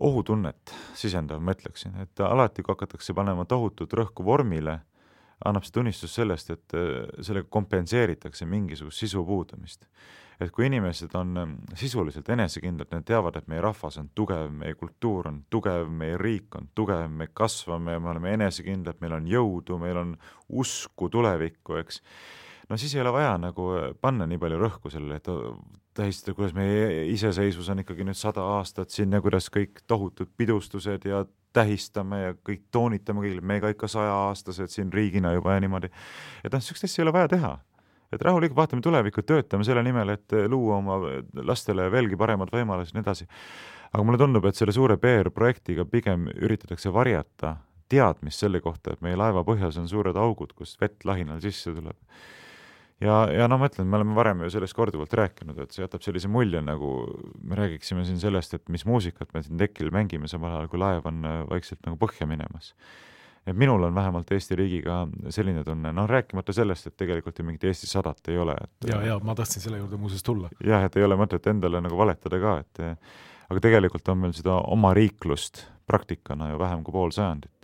ohutunnet sisendav, ma ütleksin, et alati, kui hakatakse panema tohutut rõhku vormile, annab see tunnistus sellest, et sellega kompenseeritakse mingisugust sisu puudumist. Et kui inimesed on sisuliselt enesekindlad, need teavad, et meie rahvas on tugev, meie kultuur on tugev, meie riik on tugev, me kasvame, me oleme enesekindlad, meil on jõudu, meil on usku tulevikku, eks. No siis ei ole vaja nagu panna nii palju rõhku sellele, et tähistada, kuidas meie iseseisvus on ikkagi nüüd sada aastat siin ja kuidas kõik tohutud pidustused ja tähistame ja kõik toonitame kõigile, me ka ikka saja aastased siin riigina juba ja niimoodi. Et noh, sellist asja ei ole vaja teha. Et rahulikult vaatame tulevikku, töötame selle nimel, et luua oma lastele veelgi paremad võimalused ja nii edasi. Aga mulle tundub, et selle suure P R-projektiga pigem üritatakse varjata teadmist selle kohta, et meie laeva põhjas on suured augud, kus vett lahinal sisse tuleb. Ja, ja no ma ütlen, me oleme varem ju sellest korduvalt rääkinud, et see jätab sellise mulje, nagu me räägiksime siin sellest, et mis muusikat me siin tekil mängime samal ajal, kui laev on vaikselt nagu põhja minemas. Et minul on vähemalt Eesti riigiga selline tunne, noh rääkimata sellest, et tegelikult ju mingit Eesti sadat ei ole. Et, ja, ja ma tahtsin selle juurde muuses tulla. Jah, et ei ole mõtet endale nagu valetada ka, et aga tegelikult on meil seda oma riiklust praktikana ju vähem kui pool sajandit.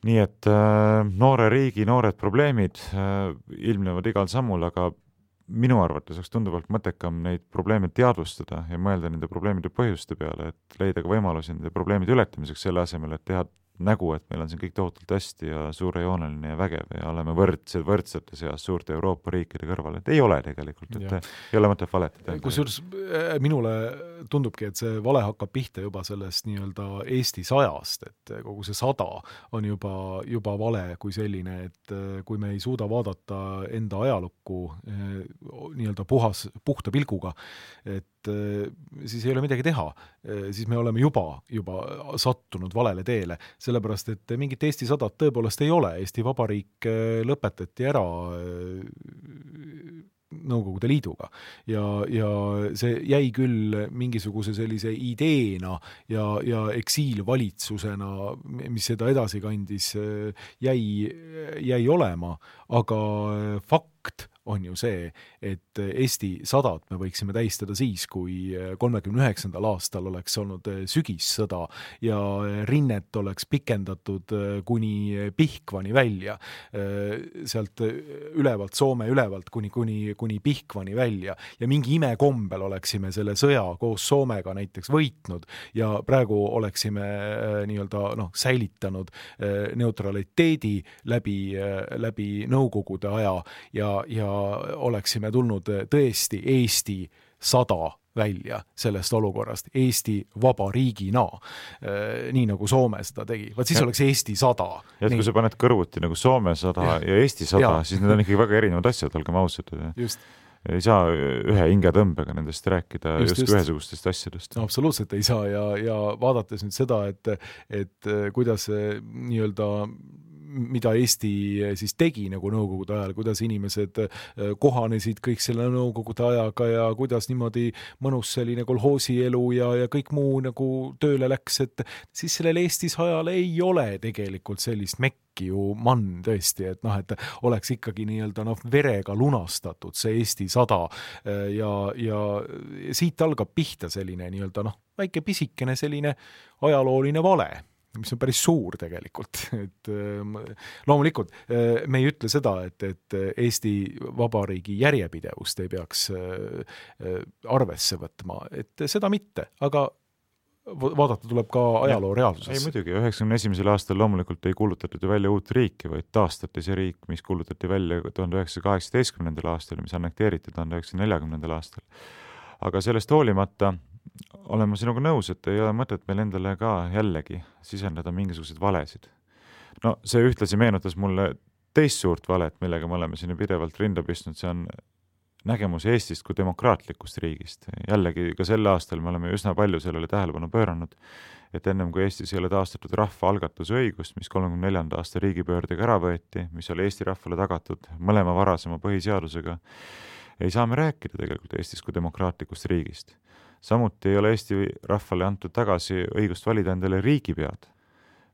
Nii et äh, noore riigi, noored probleemid äh, ilmnevad igal sammul, aga minu arvates oleks tunduvalt mõttekam neid probleeme teadvustada ja mõelda nende probleemide põhjuste peale, et leida ka võimalusi nende probleemide ületamiseks selle asemel, et teha nägu, et meil on siin kõik tohutult hästi ja suurejooneline ja vägev ja oleme võrdsed võrdsete seas suurte Euroopa riikide kõrval, et ei ole tegelikult, et ja. Ei ole mõtet valetada. Kusjuures minule tundubki, et see vale hakkab pihta juba sellest nii-öelda Eesti sajast, et kogu see sada on juba, juba vale kui selline, et kui me ei suuda vaadata enda ajalukku nii-öelda puhas, puhta pilguga, et siis ei ole midagi teha, siis me oleme juba, juba sattunud valele teele, sellepärast, et mingit Eesti sadat tõepoolest ei ole. Eesti Vabariik lõpetati ära Nõukogude Liiduga ja, ja see jäi küll mingisuguse sellise ideena ja, ja eksiilvalitsusena, mis seda edasi kandis, jäi, jäi olema, aga fakt on ju see, et Eesti sadat me võiksime tähistada siis, kui kolmekümne üheksandal aastal oleks olnud sügissõda ja rinnet oleks pikendatud kuni Pihkvani välja, sealt ülevalt, Soome ülevalt kuni, kuni, kuni Pihkvani välja ja mingi imekombel oleksime selle sõja koos Soomega näiteks võitnud ja praegu oleksime nii-öelda noh, säilitanud neutraliteedi läbi, läbi Nõukogude aja ja, ja oleksime tulnud tõesti Eesti sada välja sellest olukorrast, Eesti vabariigina, nii nagu Soome seda tegi. Vaat siis ja. Oleks Eesti sada. Ja et kui sa paned kõrvuti nagu Soome sada ja, ja Eesti sada, ja. Siis need on ikkagi väga erinevad asjad, olgem ausad. Just. Ei saa ühe hingetõmbega nendest rääkida just, just ühesugustest asjadest. No, absoluutselt ei saa ja, ja vaadates nüüd seda, et, et kuidas nii-öelda mida Eesti siis tegi nagu Nõukogude ajal, kuidas inimesed kohanesid kõik selle Nõukogude ajaga ja kuidas niimoodi mõnus selline kolhoosielu ja, ja kõik muu nagu tööle läks, et siis sellel Eestis ajal ei ole tegelikult sellist mekki ju mann tõesti, et noh, et oleks ikkagi nii-öelda noh, verega lunastatud see Eesti sada ja, ja siit algab pihta selline nii-öelda noh, väike pisikene selline ajalooline vale, mis on päris suur tegelikult, et loomulikult me ei ütle seda, et, et Eesti Vabariigi järjepidevust ei peaks arvesse võtma, et seda mitte, aga vaadata tuleb ka ajaloo reaalsuses. Ei muidugi, üheksakümne esimesel aastal loomulikult ei kuulutatud välja uut riiki, vaid taastati see riik, mis kuulutati välja tuhande üheksasaja kaheksateistkümnendal aastal, mis annekteeriti tuhande üheksasaja neljakümnendal aastal. Aga sellest hoolimata olen ma sinuga nõus, et ei ole mõtet meil endale ka jällegi sisendada mingisuguseid valesid. No see ühtlasi meenutas mulle teist suurt valet, millega me oleme siin pidevalt rinda pistnud, see on nägemus Eestist kui demokraatlikust riigist. Jällegi ka sel aastal me oleme üsna palju sellele tähelepanu pööranud, et ennem kui Eestis ei ole taastatud rahva algatuse õigust, mis kolmekümne neljanda aasta riigipöördega ära võeti, mis oli Eesti rahvale tagatud mõlema varasema põhiseadusega, ei saa me rääkida tegelikult Eestis kui demokraatlikust riigist. Samuti ei ole Eesti rahvale antud tagasi õigust valida endale riigipead,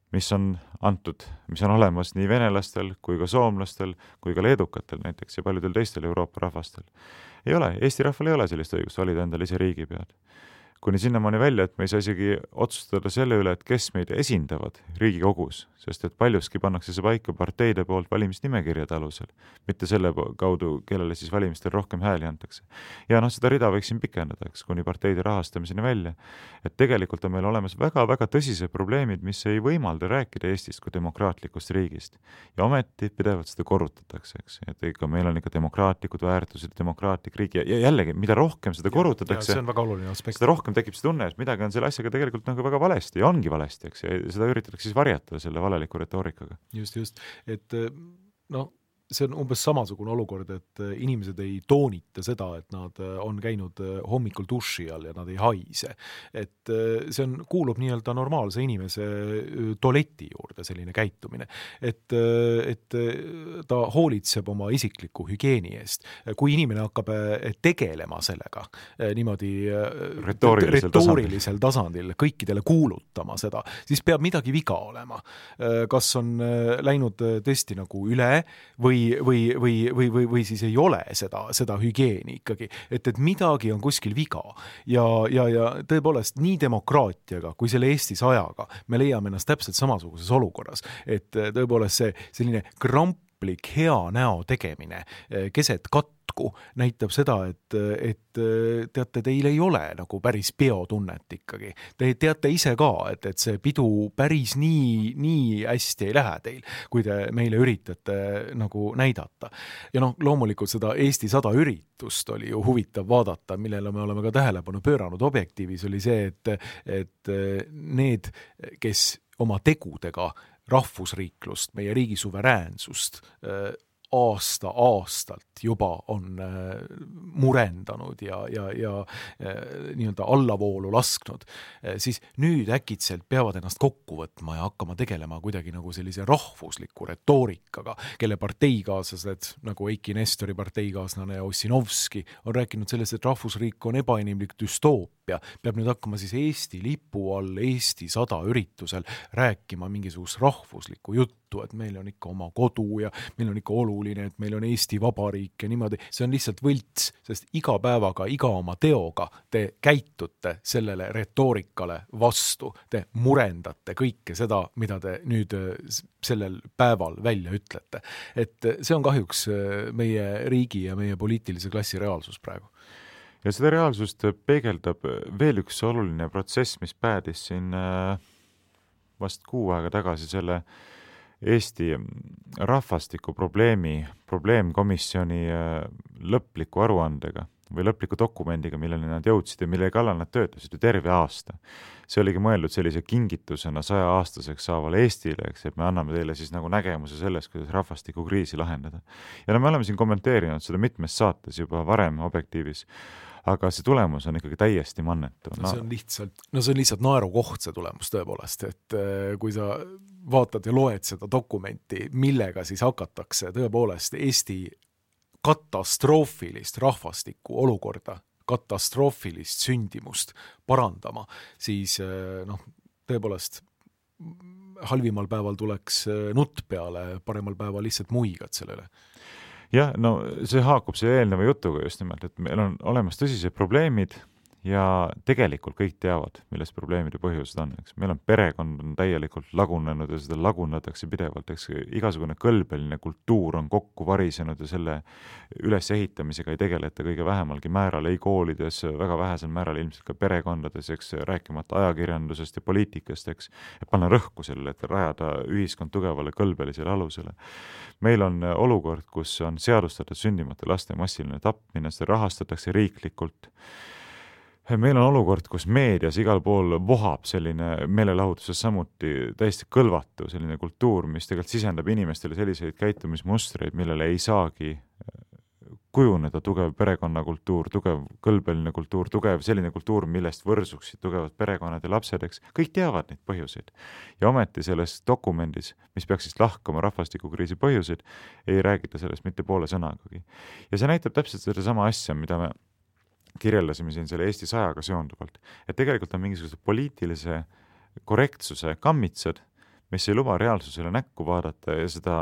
mis on antud, mis on olemas nii venelastel kui ka soomlastel kui ka leedukatel näiteks ja paljudel teistel Euroopa rahvastel. Ei ole, Eesti rahval ei ole sellist õigust valida endale ise riigipead. Kuni sinnamaani välja, et me ei saa isegi otsustada selle üle, et kes meid esindavad Riigikogus, sest et paljuski pannakse see paika parteide poolt valimisnimekirjade alusel, mitte selle kaudu, kellele siis valimistel rohkem hääli antakse. Ja noh, seda rida võiksin pikendada, eks, kuni parteide rahastamiseni välja, et tegelikult on meil olemas väga-väga tõsised probleemid, mis ei võimalda rääkida Eestist kui demokraatlikust riigist. Ja ometi pidevalt seda korrutatakse, eks, et ikka meil on ikka demokraatlikud väärtused, demokraatlik riik ja, ja jällegi, mida rohkem seda korrutatakse, see on väga oluline aspekt. Seda rohkem tekib see tunne, et midagi on selle asjaga tegelikult nagu väga valesti ja ongi valesti, eks, ja seda üritatakse siis varjatada selle valeliku retoorikaga. Just, just, et no see on umbes samasugune olukord, et inimesed ei toonita seda, et nad on käinud hommikul duši all ja nad ei haise. Et see on, kuulub nii-öelda normaalse inimese tualeti juurde selline käitumine. Et, et ta hoolitseb oma isikliku hügieeni eest. Kui inimene hakkab tegelema sellega niimoodi retoorilisel, retoorilisel tasandil, kõikidele kuulutama seda, siis peab midagi viga olema. Kas on läinud tõesti nagu üle või Või, või, või, või, või siis ei ole seda, seda hügieeni ikkagi, et, et midagi on kuskil viga ja, ja, ja tõepoolest nii demokraatiaga kui selle Eesti sajaga me leiame ennast täpselt samasuguses olukorras, et tõepoolest see selline kramplik hea näo tegemine keset katku käsku, näitab seda, et, et teate, teil ei ole nagu päris peotunnet ikkagi. Te teate ise ka, et, et see pidu päris nii, nii hästi ei lähe teil, kui te meile üritate nagu näidata. Ja noh, loomulikult seda Eesti sada üritust oli ju huvitav vaadata, millele me oleme ka tähelepanu pööranud Objektiivis, oli see, et, et need, kes oma tegudega rahvusriiklust, meie riigi suveräänsust aasta aastalt juba on murendanud ja, ja, ja nii-öelda allavoolu lasknud, siis nüüd äkitselt peavad ennast kokku võtma ja hakkama tegelema kuidagi nagu sellise rahvusliku retoorikaga, kelle parteikaaslased, nagu Eiki Nestori parteikaaslane Ossinovski, on rääkinud sellest, et rahvusriik on ebainimlik düstoopia, peab nüüd hakkama siis Eesti lipu all, Eesti sada üritusel rääkima mingisugust rahvuslikku juttu, et meil on ikka oma kodu ja meil on ikka oluline, et meil on Eesti Vabariik ja niimoodi. See on lihtsalt võlts, sest iga päevaga, iga oma teoga te käitute sellele retoorikale vastu. Te murendate kõike seda, mida te nüüd sellel päeval välja ütlete. Et see on kahjuks meie riigi ja meie poliitilise klassi reaalsus praegu. Ja seda reaalsust peegeldab veel üks oluline protsess, mis päädis siin vast kuu aega tagasi selle Eesti rahvastiku probleemi, probleemkomisjoni lõpliku aruandega või lõpliku dokumendiga, millele nad jõudsid ja mille kallal nad töötasid ju terve aasta. See oligi mõeldud sellise kingitusena saja aastaseks saavale Eestile, eks, et me anname teile siis nagu nägemuse sellest, kuidas rahvastiku kriisi lahendada. Ja no me oleme siin kommenteerinud seda mitmes saates juba varem Objektiivis, aga see tulemus on ikkagi täiesti mannetu. No, see on lihtsalt, no see on lihtsalt naerukoht see tulemus tõepoolest, et kui sa vaatad ja loed seda dokumenti, millega siis hakatakse tõepoolest Eesti katastroofilist rahvastiku olukorda, katastroofilist sündimust parandama, siis noh, tõepoolest halvimal päeval tuleks nutt peale, paremal päeval lihtsalt muigad sellele. Jah, no see haakub see eelneva jutuga just nimelt, et meil on olemas tõsised probleemid ja tegelikult kõik teavad, milles probleemide põhjused on. Eks. Meil on perekond on täielikult lagunenud ja seda lagunatakse pidevalt. Eks. Igasugune kõlbeline kultuur on kokku varisenud ja selle ülesehitamisega ei tegeleta kõige vähemalgi määral, ei koolides, väga vähesel määral ilmselt ka perekondades, eks, rääkimata ajakirjandusest ja poliitikast, eks, et panna rõhku sellele, et rajada ühiskond tugevale kõlbelisele alusele. Meil on olukord, kus on seadustatud sündimata laste massiline tapmine, seda rahastatakse riiklikult. Meil on olukord, kus meedias igal pool vohab selline meelelahutuses samuti täiesti kõlvatu selline kultuur, mis tegelikult sisendab inimestele selliseid käitumismustreid, millele ei saagi kujuneda tugev perekonnakultuur, tugev kõlbeline kultuur, tugev selline kultuur, millest võrsuksid tugevad perekonnad ja lapsed, eks. Kõik teavad neid põhjuseid. Ja ometi selles dokumendis, mis peaks siis lahkama rahvastikukriisi põhjuseid, ei räägita sellest mitte poole sõnagagi. Ja see näitab täpselt seda sama asja, mida me kirjeldasime siin selle Eesti sajaga seonduvalt, et tegelikult on mingisuguse poliitilise korrektsuse kammitsad, mis ei luba reaalsusele näkku vaadata ja seda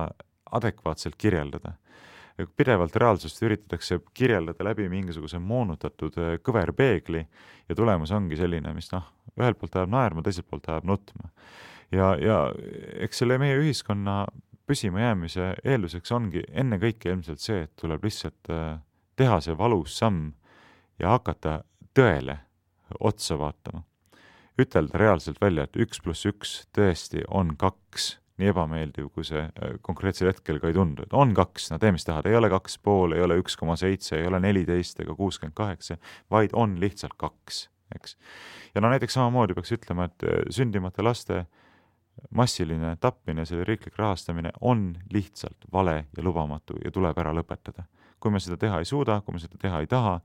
adekvaatselt kirjeldada. Pidevalt reaalsust üritatakse kirjeldada läbi mingisuguse moonutatud kõverpeegli ja tulemus ongi selline, mis noh, ühelt poolt ajab naerma, teiselt poolt ajab nutma. Ja, ja eks selle meie ühiskonna püsima jäämise eelduseks ongi enne kõike ilmselt see, et tuleb lihtsalt teha see valus samm ja hakata tõele otsa vaatama. Ütelda reaalselt välja, et üks pluss üks tõesti on kaks, nii ebameeldiv, kui see konkreetsel hetkel ka ei tundu. Et on kaks, no tee mis tahad, ei ole kaks pool, ei ole üks koma seitse, ei ole neliteist ega kuuskümmend kaheksa, vaid on lihtsalt kaks. Eks? Ja no näiteks samamoodi peaks ütlema, et sündimata laste massiline tapmine, selle riiklik rahastamine on lihtsalt vale ja lubamatu ja tuleb ära lõpetada. Kui me seda teha ei suuda, kui me seda teha ei taha,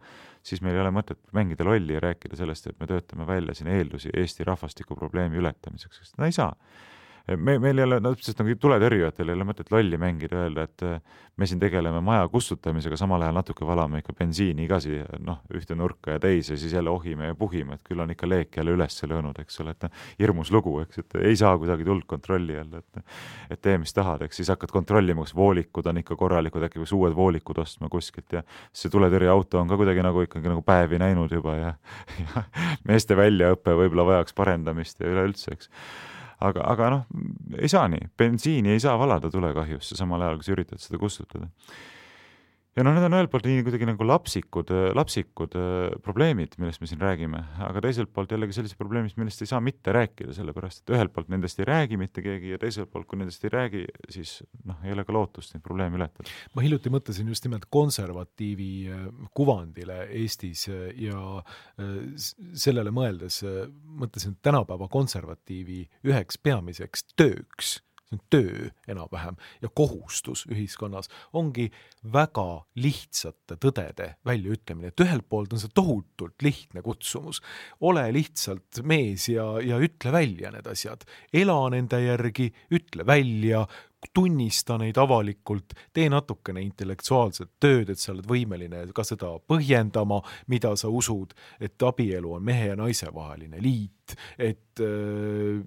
siis meil ei ole mõtet mängida lolli ja rääkida sellest, et me töötame välja siin eeldusi Eesti rahvastiku probleemi ületamiseks, sest no ei saa. Me, meil ei ole, no täpselt nagu tuletõrjujatel ei ole mõtet lolli mängida ja öelda, et me siin tegeleme maja kustutamisega, samal ajal natuke valame ikka bensiini igasi, noh, ühte nurka ja teise, siis jälle ohime ja puhime, et küll on ikka leek jälle üles löönud, eks ole, et hirmus lugu, eks, et ei saa kuidagi tuld kontrolli jälle, et, et tee mis tahad, eks, siis hakkad kontrollima, kas voolikud on ikka korralikud, äkki kus uued voolikud ostma kuskilt ja see tuletõrjeauto on ka kuidagi nagu ikkagi nagu päevi näinud juba ja, ja meeste väljaõppe võib-olla vajaks parendamist ja üleüldse, eks. Aga, aga noh, ei saa nii. Bensiini ei saa valada tulekahjusse samal ajal, kui sa üritad seda kustutada. ja noh, need on ühelt poolt nii kuidagi nagu lapsikud, lapsikud probleemid, millest me siin räägime, aga teiselt poolt jällegi sellised probleemid, millest ei saa mitte rääkida, sellepärast et ühelt poolt nendest ei räägi mitte keegi ja teiselt poolt, kui nendest ei räägi, siis noh, ei ole ka lootust neid probleeme ületada. Ma hiljuti mõtlesin just nimelt konservatiivi kuvandile Eestis ja sellele mõeldes mõtlesin, et tänapäeva konservatiivi üheks peamiseks tööks, töö enam-vähem ja kohustus ühiskonnas ongi väga lihtsate tõdede väljaütlemine, et ühelt poolt on see tohutult lihtne kutsumus, ole lihtsalt mees ja, ja ütle välja need asjad, ela nende järgi, ütle välja, tunnista neid avalikult, tee natukene intellektuaalset tööd, et sa oled võimeline ka seda põhjendama, mida sa usud, et abielu on mehe ja naise vaheline liit, et äh,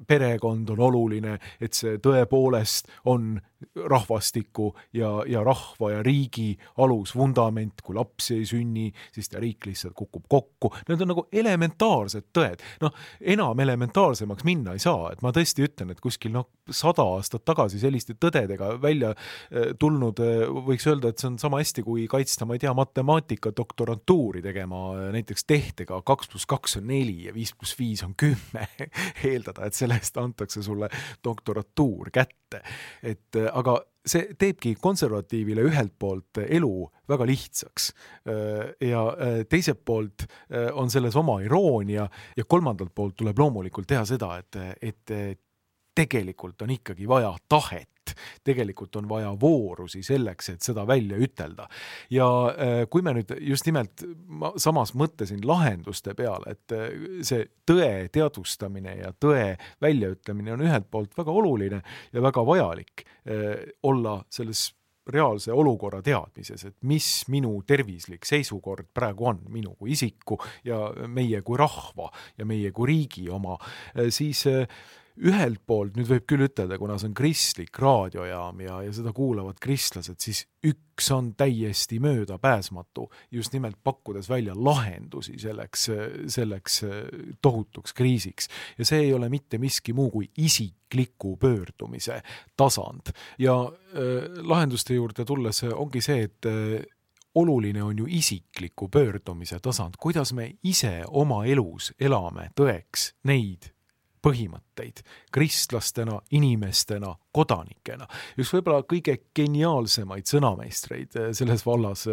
perekond on oluline, et see tõepoolest on rahvastiku ja, ja rahva ja riigi alus, vundament, kui lapsi ei sünni, siis ta riik lihtsalt kukub kokku. Need on nagu elementaarsed tõed. Noh, enam elementaarsemaks minna ei saa, et ma tõesti ütlen, et kuskil noh, sada aastat tagasi selliste tõdedega välja tulnud, võiks öelda, et see on sama hästi, kui kaitsta, ma ei tea, matemaatika doktorantuuri tegema näiteks tehtega kaks pluss kaks on neli ja viis pluss viis on kümme. Eeldada, et sellest antakse sulle doktoratuur kätte. Et aga see teebki konservatiivile ühelt poolt elu väga lihtsaks ja teiselt poolt on selles oma iroonia ja kolmandalt poolt tuleb loomulikult teha seda, et, et tegelikult on ikkagi vaja tahet, tegelikult on vaja voorusi selleks, et seda välja ütelda. Ja kui me nüüd just nimelt, ma samas mõtlesin lahenduste peale, et see tõe teadvustamine ja tõe väljaütlemine on ühelt poolt väga oluline ja väga vajalik olla selles reaalse olukorra teadmises, et mis minu tervislik seisukord praegu on, minu kui isiku ja meie kui rahva ja meie kui riigi oma, siis ühelt poolt, nüüd võib küll ütelda, kuna see on kristlik raadiojaam ja, ja seda kuulavad kristlased, siis üks on täiesti möödapääsmatu, just nimelt pakkudes välja lahendusi selleks, selleks tohutuks kriisiks. Ja see ei ole mitte miski muu kui isikliku pöördumise tasand. Ja äh, lahenduste juurde tulles ongi see, et äh, oluline on ju isikliku pöördumise tasand, kuidas me ise oma elus elame tõeks neid põhimõtteid, kristlastena, inimestena, kodanikena. Üks võib-olla kõige geniaalsemaid sõnameistreid selles vallas,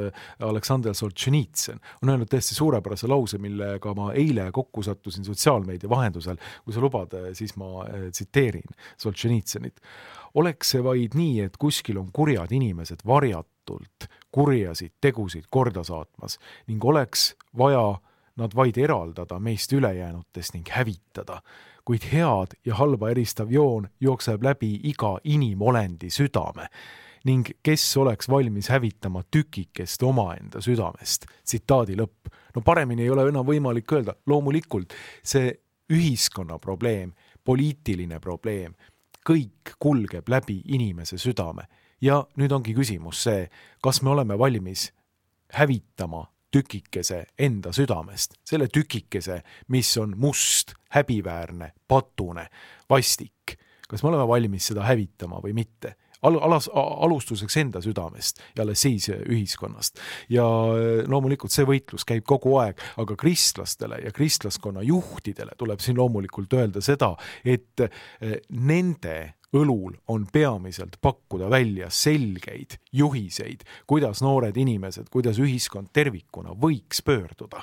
Aleksandr Solženitsõn, on öelnud tõesti suurepärase lause, millega ma eile kokku sattusin sotsiaalmeedia vahendusel. Kui sa lubad, siis ma tsiteerin Solženitsõnit. Oleks see vaid nii, et kuskil on kurjad inimesed varjatult kurjasid tegusid korda saatmas ning oleks vaja nad vaid eraldada meist ülejäänutest ning hävitada, kuid head ja halba eristav joon jookseb läbi iga inimolendi südame ning kes oleks valmis hävitama tükikest omaenda südamest. Tsitaadi lõpp. No paremini ei ole enam võimalik öelda. Loomulikult see ühiskonna probleem, poliitiline probleem, kõik kulgeb läbi inimese südame. Ja nüüd ongi küsimus see, kas me oleme valmis hävitama tükikese enda südamest, selle tükikese, mis on must, häbiväärne, patune, vastik. Kas me oleme valmis seda hävitama või mitte? Al- alas, alustuseks enda südamest ja alles siis ühiskonnast. Ja loomulikult see võitlus käib kogu aeg, aga kristlastele ja kristlaskonna juhtidele tuleb siin loomulikult öelda seda, et nende õlul on peamiselt pakkuda välja selgeid juhiseid, kuidas noored inimesed, kuidas ühiskond tervikuna võiks pöörduda.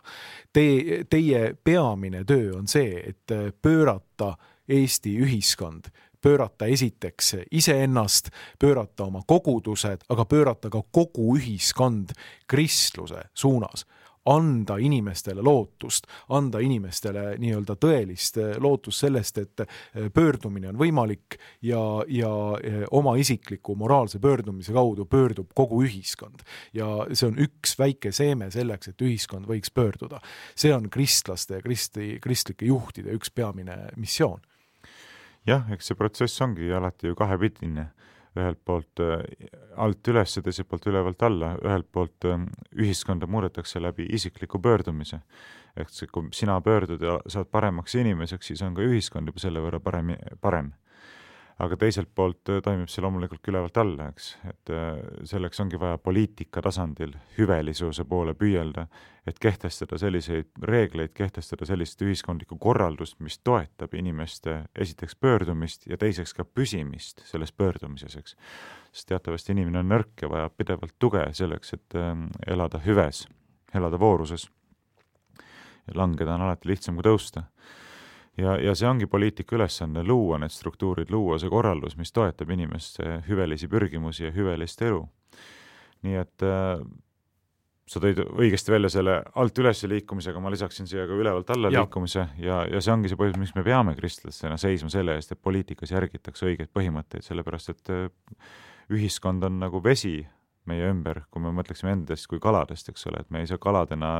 Te, teie peamine töö on see, et pöörata Eesti ühiskond, pöörata esiteks iseennast, pöörata oma kogudused, aga pöörata ka kogu ühiskond kristluse suunas. Anda inimestele lootust, anda inimestele nii-öelda tõelist lootust sellest, et pöördumine on võimalik ja, ja oma isikliku moraalse pöördumise kaudu pöördub kogu ühiskond. Ja see on üks väike seeme selleks, et ühiskond võiks pöörduda. See on kristlaste ja kristi, kristlike juhtide üks peamine missioon. Jah, eks see protsess ongi alati ju kahepidine. Ühelt poolt alt üles ja teiselt poolt ülevalt alla. Ühelt poolt ühiskonda muudetakse läbi isikliku pöördumise. Ehk see, kui sina pöördud ja saad paremaks inimeseks, siis on ka ühiskond juba selle võrra parem. parem. aga teiselt poolt toimib see loomulikult ülevalt alla, eks, et selleks ongi vaja poliitika tasandil hüvelisuse poole püüelda, et kehtestada selliseid reegleid, kehtestada sellist ühiskondlikku korraldust, mis toetab inimeste esiteks pöördumist ja teiseks ka püsimist selles pöördumises, eks. Sest teatavasti inimene on nõrk ja vajab pidevalt tuge selleks, et elada hüves, elada vooruses. Ja langeda on alati lihtsam kui tõusta. Ja, ja see ongi poliitika ülesanne, luua need struktuurid, luua see korraldus, mis toetab inimeste hüvelisi pürgimusi ja hüvelist elu. Nii et äh, sa tõid õigesti välja selle alt üles liikumisega, ma lisaksin siia ka ülevalt alla ja. liikumise ja, ja see ongi see põhjus, miks me peame kristlastena seisma selle eest, et poliitikas järgitakse õigeid põhimõtteid, sellepärast et äh, ühiskond on nagu vesi meie ümber, kui me mõtleksime endast kui kaladest, eks ole, et me ei saa kaladena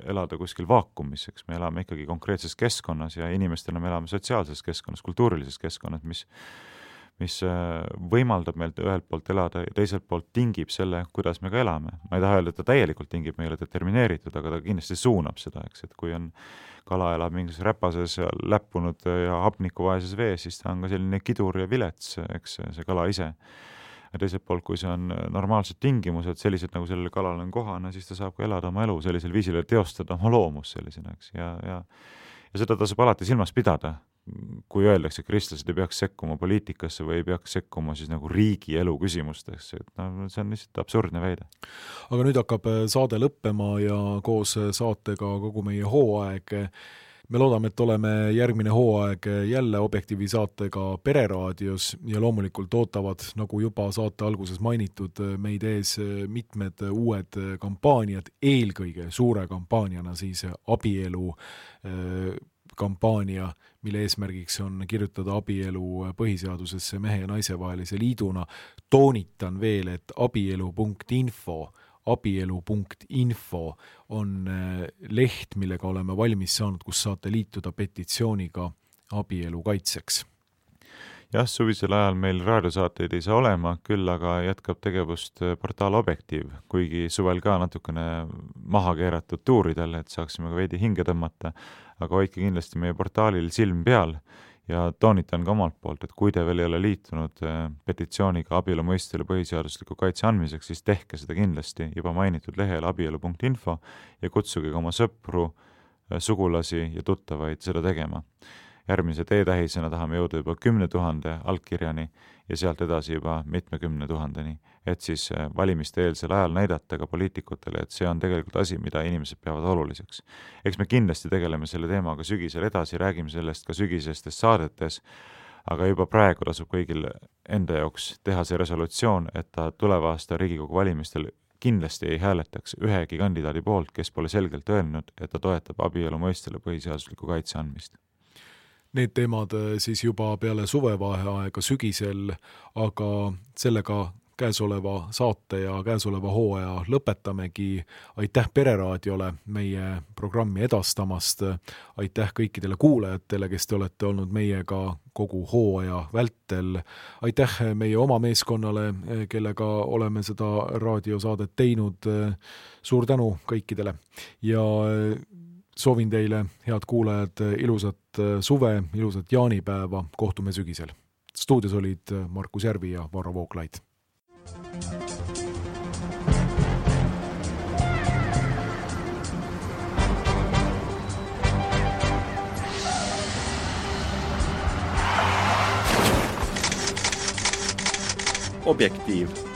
elada kuskil vaakumis, eks me elame ikkagi konkreetses keskkonnas ja inimestena me elame sotsiaalses keskkonnas, kultuurilises keskkonnas, mis, mis võimaldab meilt ühelt poolt elada ja teiselt poolt tingib selle, kuidas me ka elame. Ma ei taha öelda, et ta täielikult tingib, me ei ole determineeritud, aga ta kindlasti suunab seda, eks, et kui on kala elab mingis räpases ja läppunud ja hapnikuvaeses vees, siis ta on ka selline kidur ja vilets, eks see kala ise. Ja teiselt poolt, kui see on normaalsed tingimused, sellised nagu sellele kalal on kohane, siis ta saab ka elada oma elu sellisel viisil ja teostada oma loomus sellisena, eks. Ja, ja, ja seda tasub alati silmas pidada, kui öeldakse, et kristlased ei peaks sekkuma poliitikasse või ei peaks sekkuma siis nagu riigi elu küsimustesse, et no, see on lihtsalt absurdne väide. Aga nüüd hakkab saade lõppema ja koos saatega kogu meie hooaeg. Me loodame, et oleme järgmine hooaeg jälle Objektiivi saatega Pereraadios ja loomulikult ootavad, nagu juba saate alguses mainitud, meid ees mitmed uued kampaaniad, eelkõige suure kampaaniana siis abielu kampaania, mille eesmärgiks on kirjutada abielu põhiseadusesse mehe ja naise vahelise liiduna. Toonitan veel, et abielu punkt info abielu punkt info on leht, millega oleme valmis saanud, kus saate liituda petitsiooniga abielu kaitseks. Jah, suvisel ajal meil raadiosaateid ei saa olema, küll aga jätkab tegevust portaal Objektiiv, kuigi suvel ka natukene maha keeratud tuuridel, et saaksime ka veidi hinge tõmmata, aga hoidke kindlasti meie portaalil silm peal. Ja toonitan ka omalt poolt, et kui te veel ei ole liitunud petitsiooniga abielu mõistele põhiseadusliku kaitse andmiseks, siis tehke seda kindlasti juba mainitud lehel abielu punkt info ja kutsuge ka oma sõpru, sugulasi ja tuttavaid seda tegema. Järgmise teetähisena tahame jõuda juba kümne tuhande allkirjani ja sealt edasi juba mitmekümne tuhandeni, et siis valimiste eelsel ajal näidata ka poliitikutele, et see on tegelikult asi, mida inimesed peavad oluliseks. Eks me kindlasti tegeleme selle teemaga sügisel edasi, räägime sellest ka sügisestes saadetes, aga juba praegu tasub kõigil enda jaoks teha see resolutsioon, et ta tuleva aasta Riigikogu valimistel kindlasti ei hääletaks ühegi kandidaadi poolt, kes pole selgelt öelnud, et ta toetab abielu mõistele põhiseadusliku kaitse andmist. Need teemad siis juba peale suvevaheaega sügisel, aga sellega käesoleva saate ja käesoleva hooaja lõpetamegi. Aitäh Pereraadiole meie programmi edastamast. Aitäh kõikidele kuulajatele, kes te olete olnud meiega kogu hooaja vältel. Aitäh meie oma meeskonnale, kellega oleme seda raadiosaadet teinud. Suur tänu kõikidele ja soovin teile, head kuulajad, ilusat suve, ilusat jaanipäeva, kohtume sügisel. Stuudios olid Markus Järvi ja Varro Vooglaid. Objektiiv.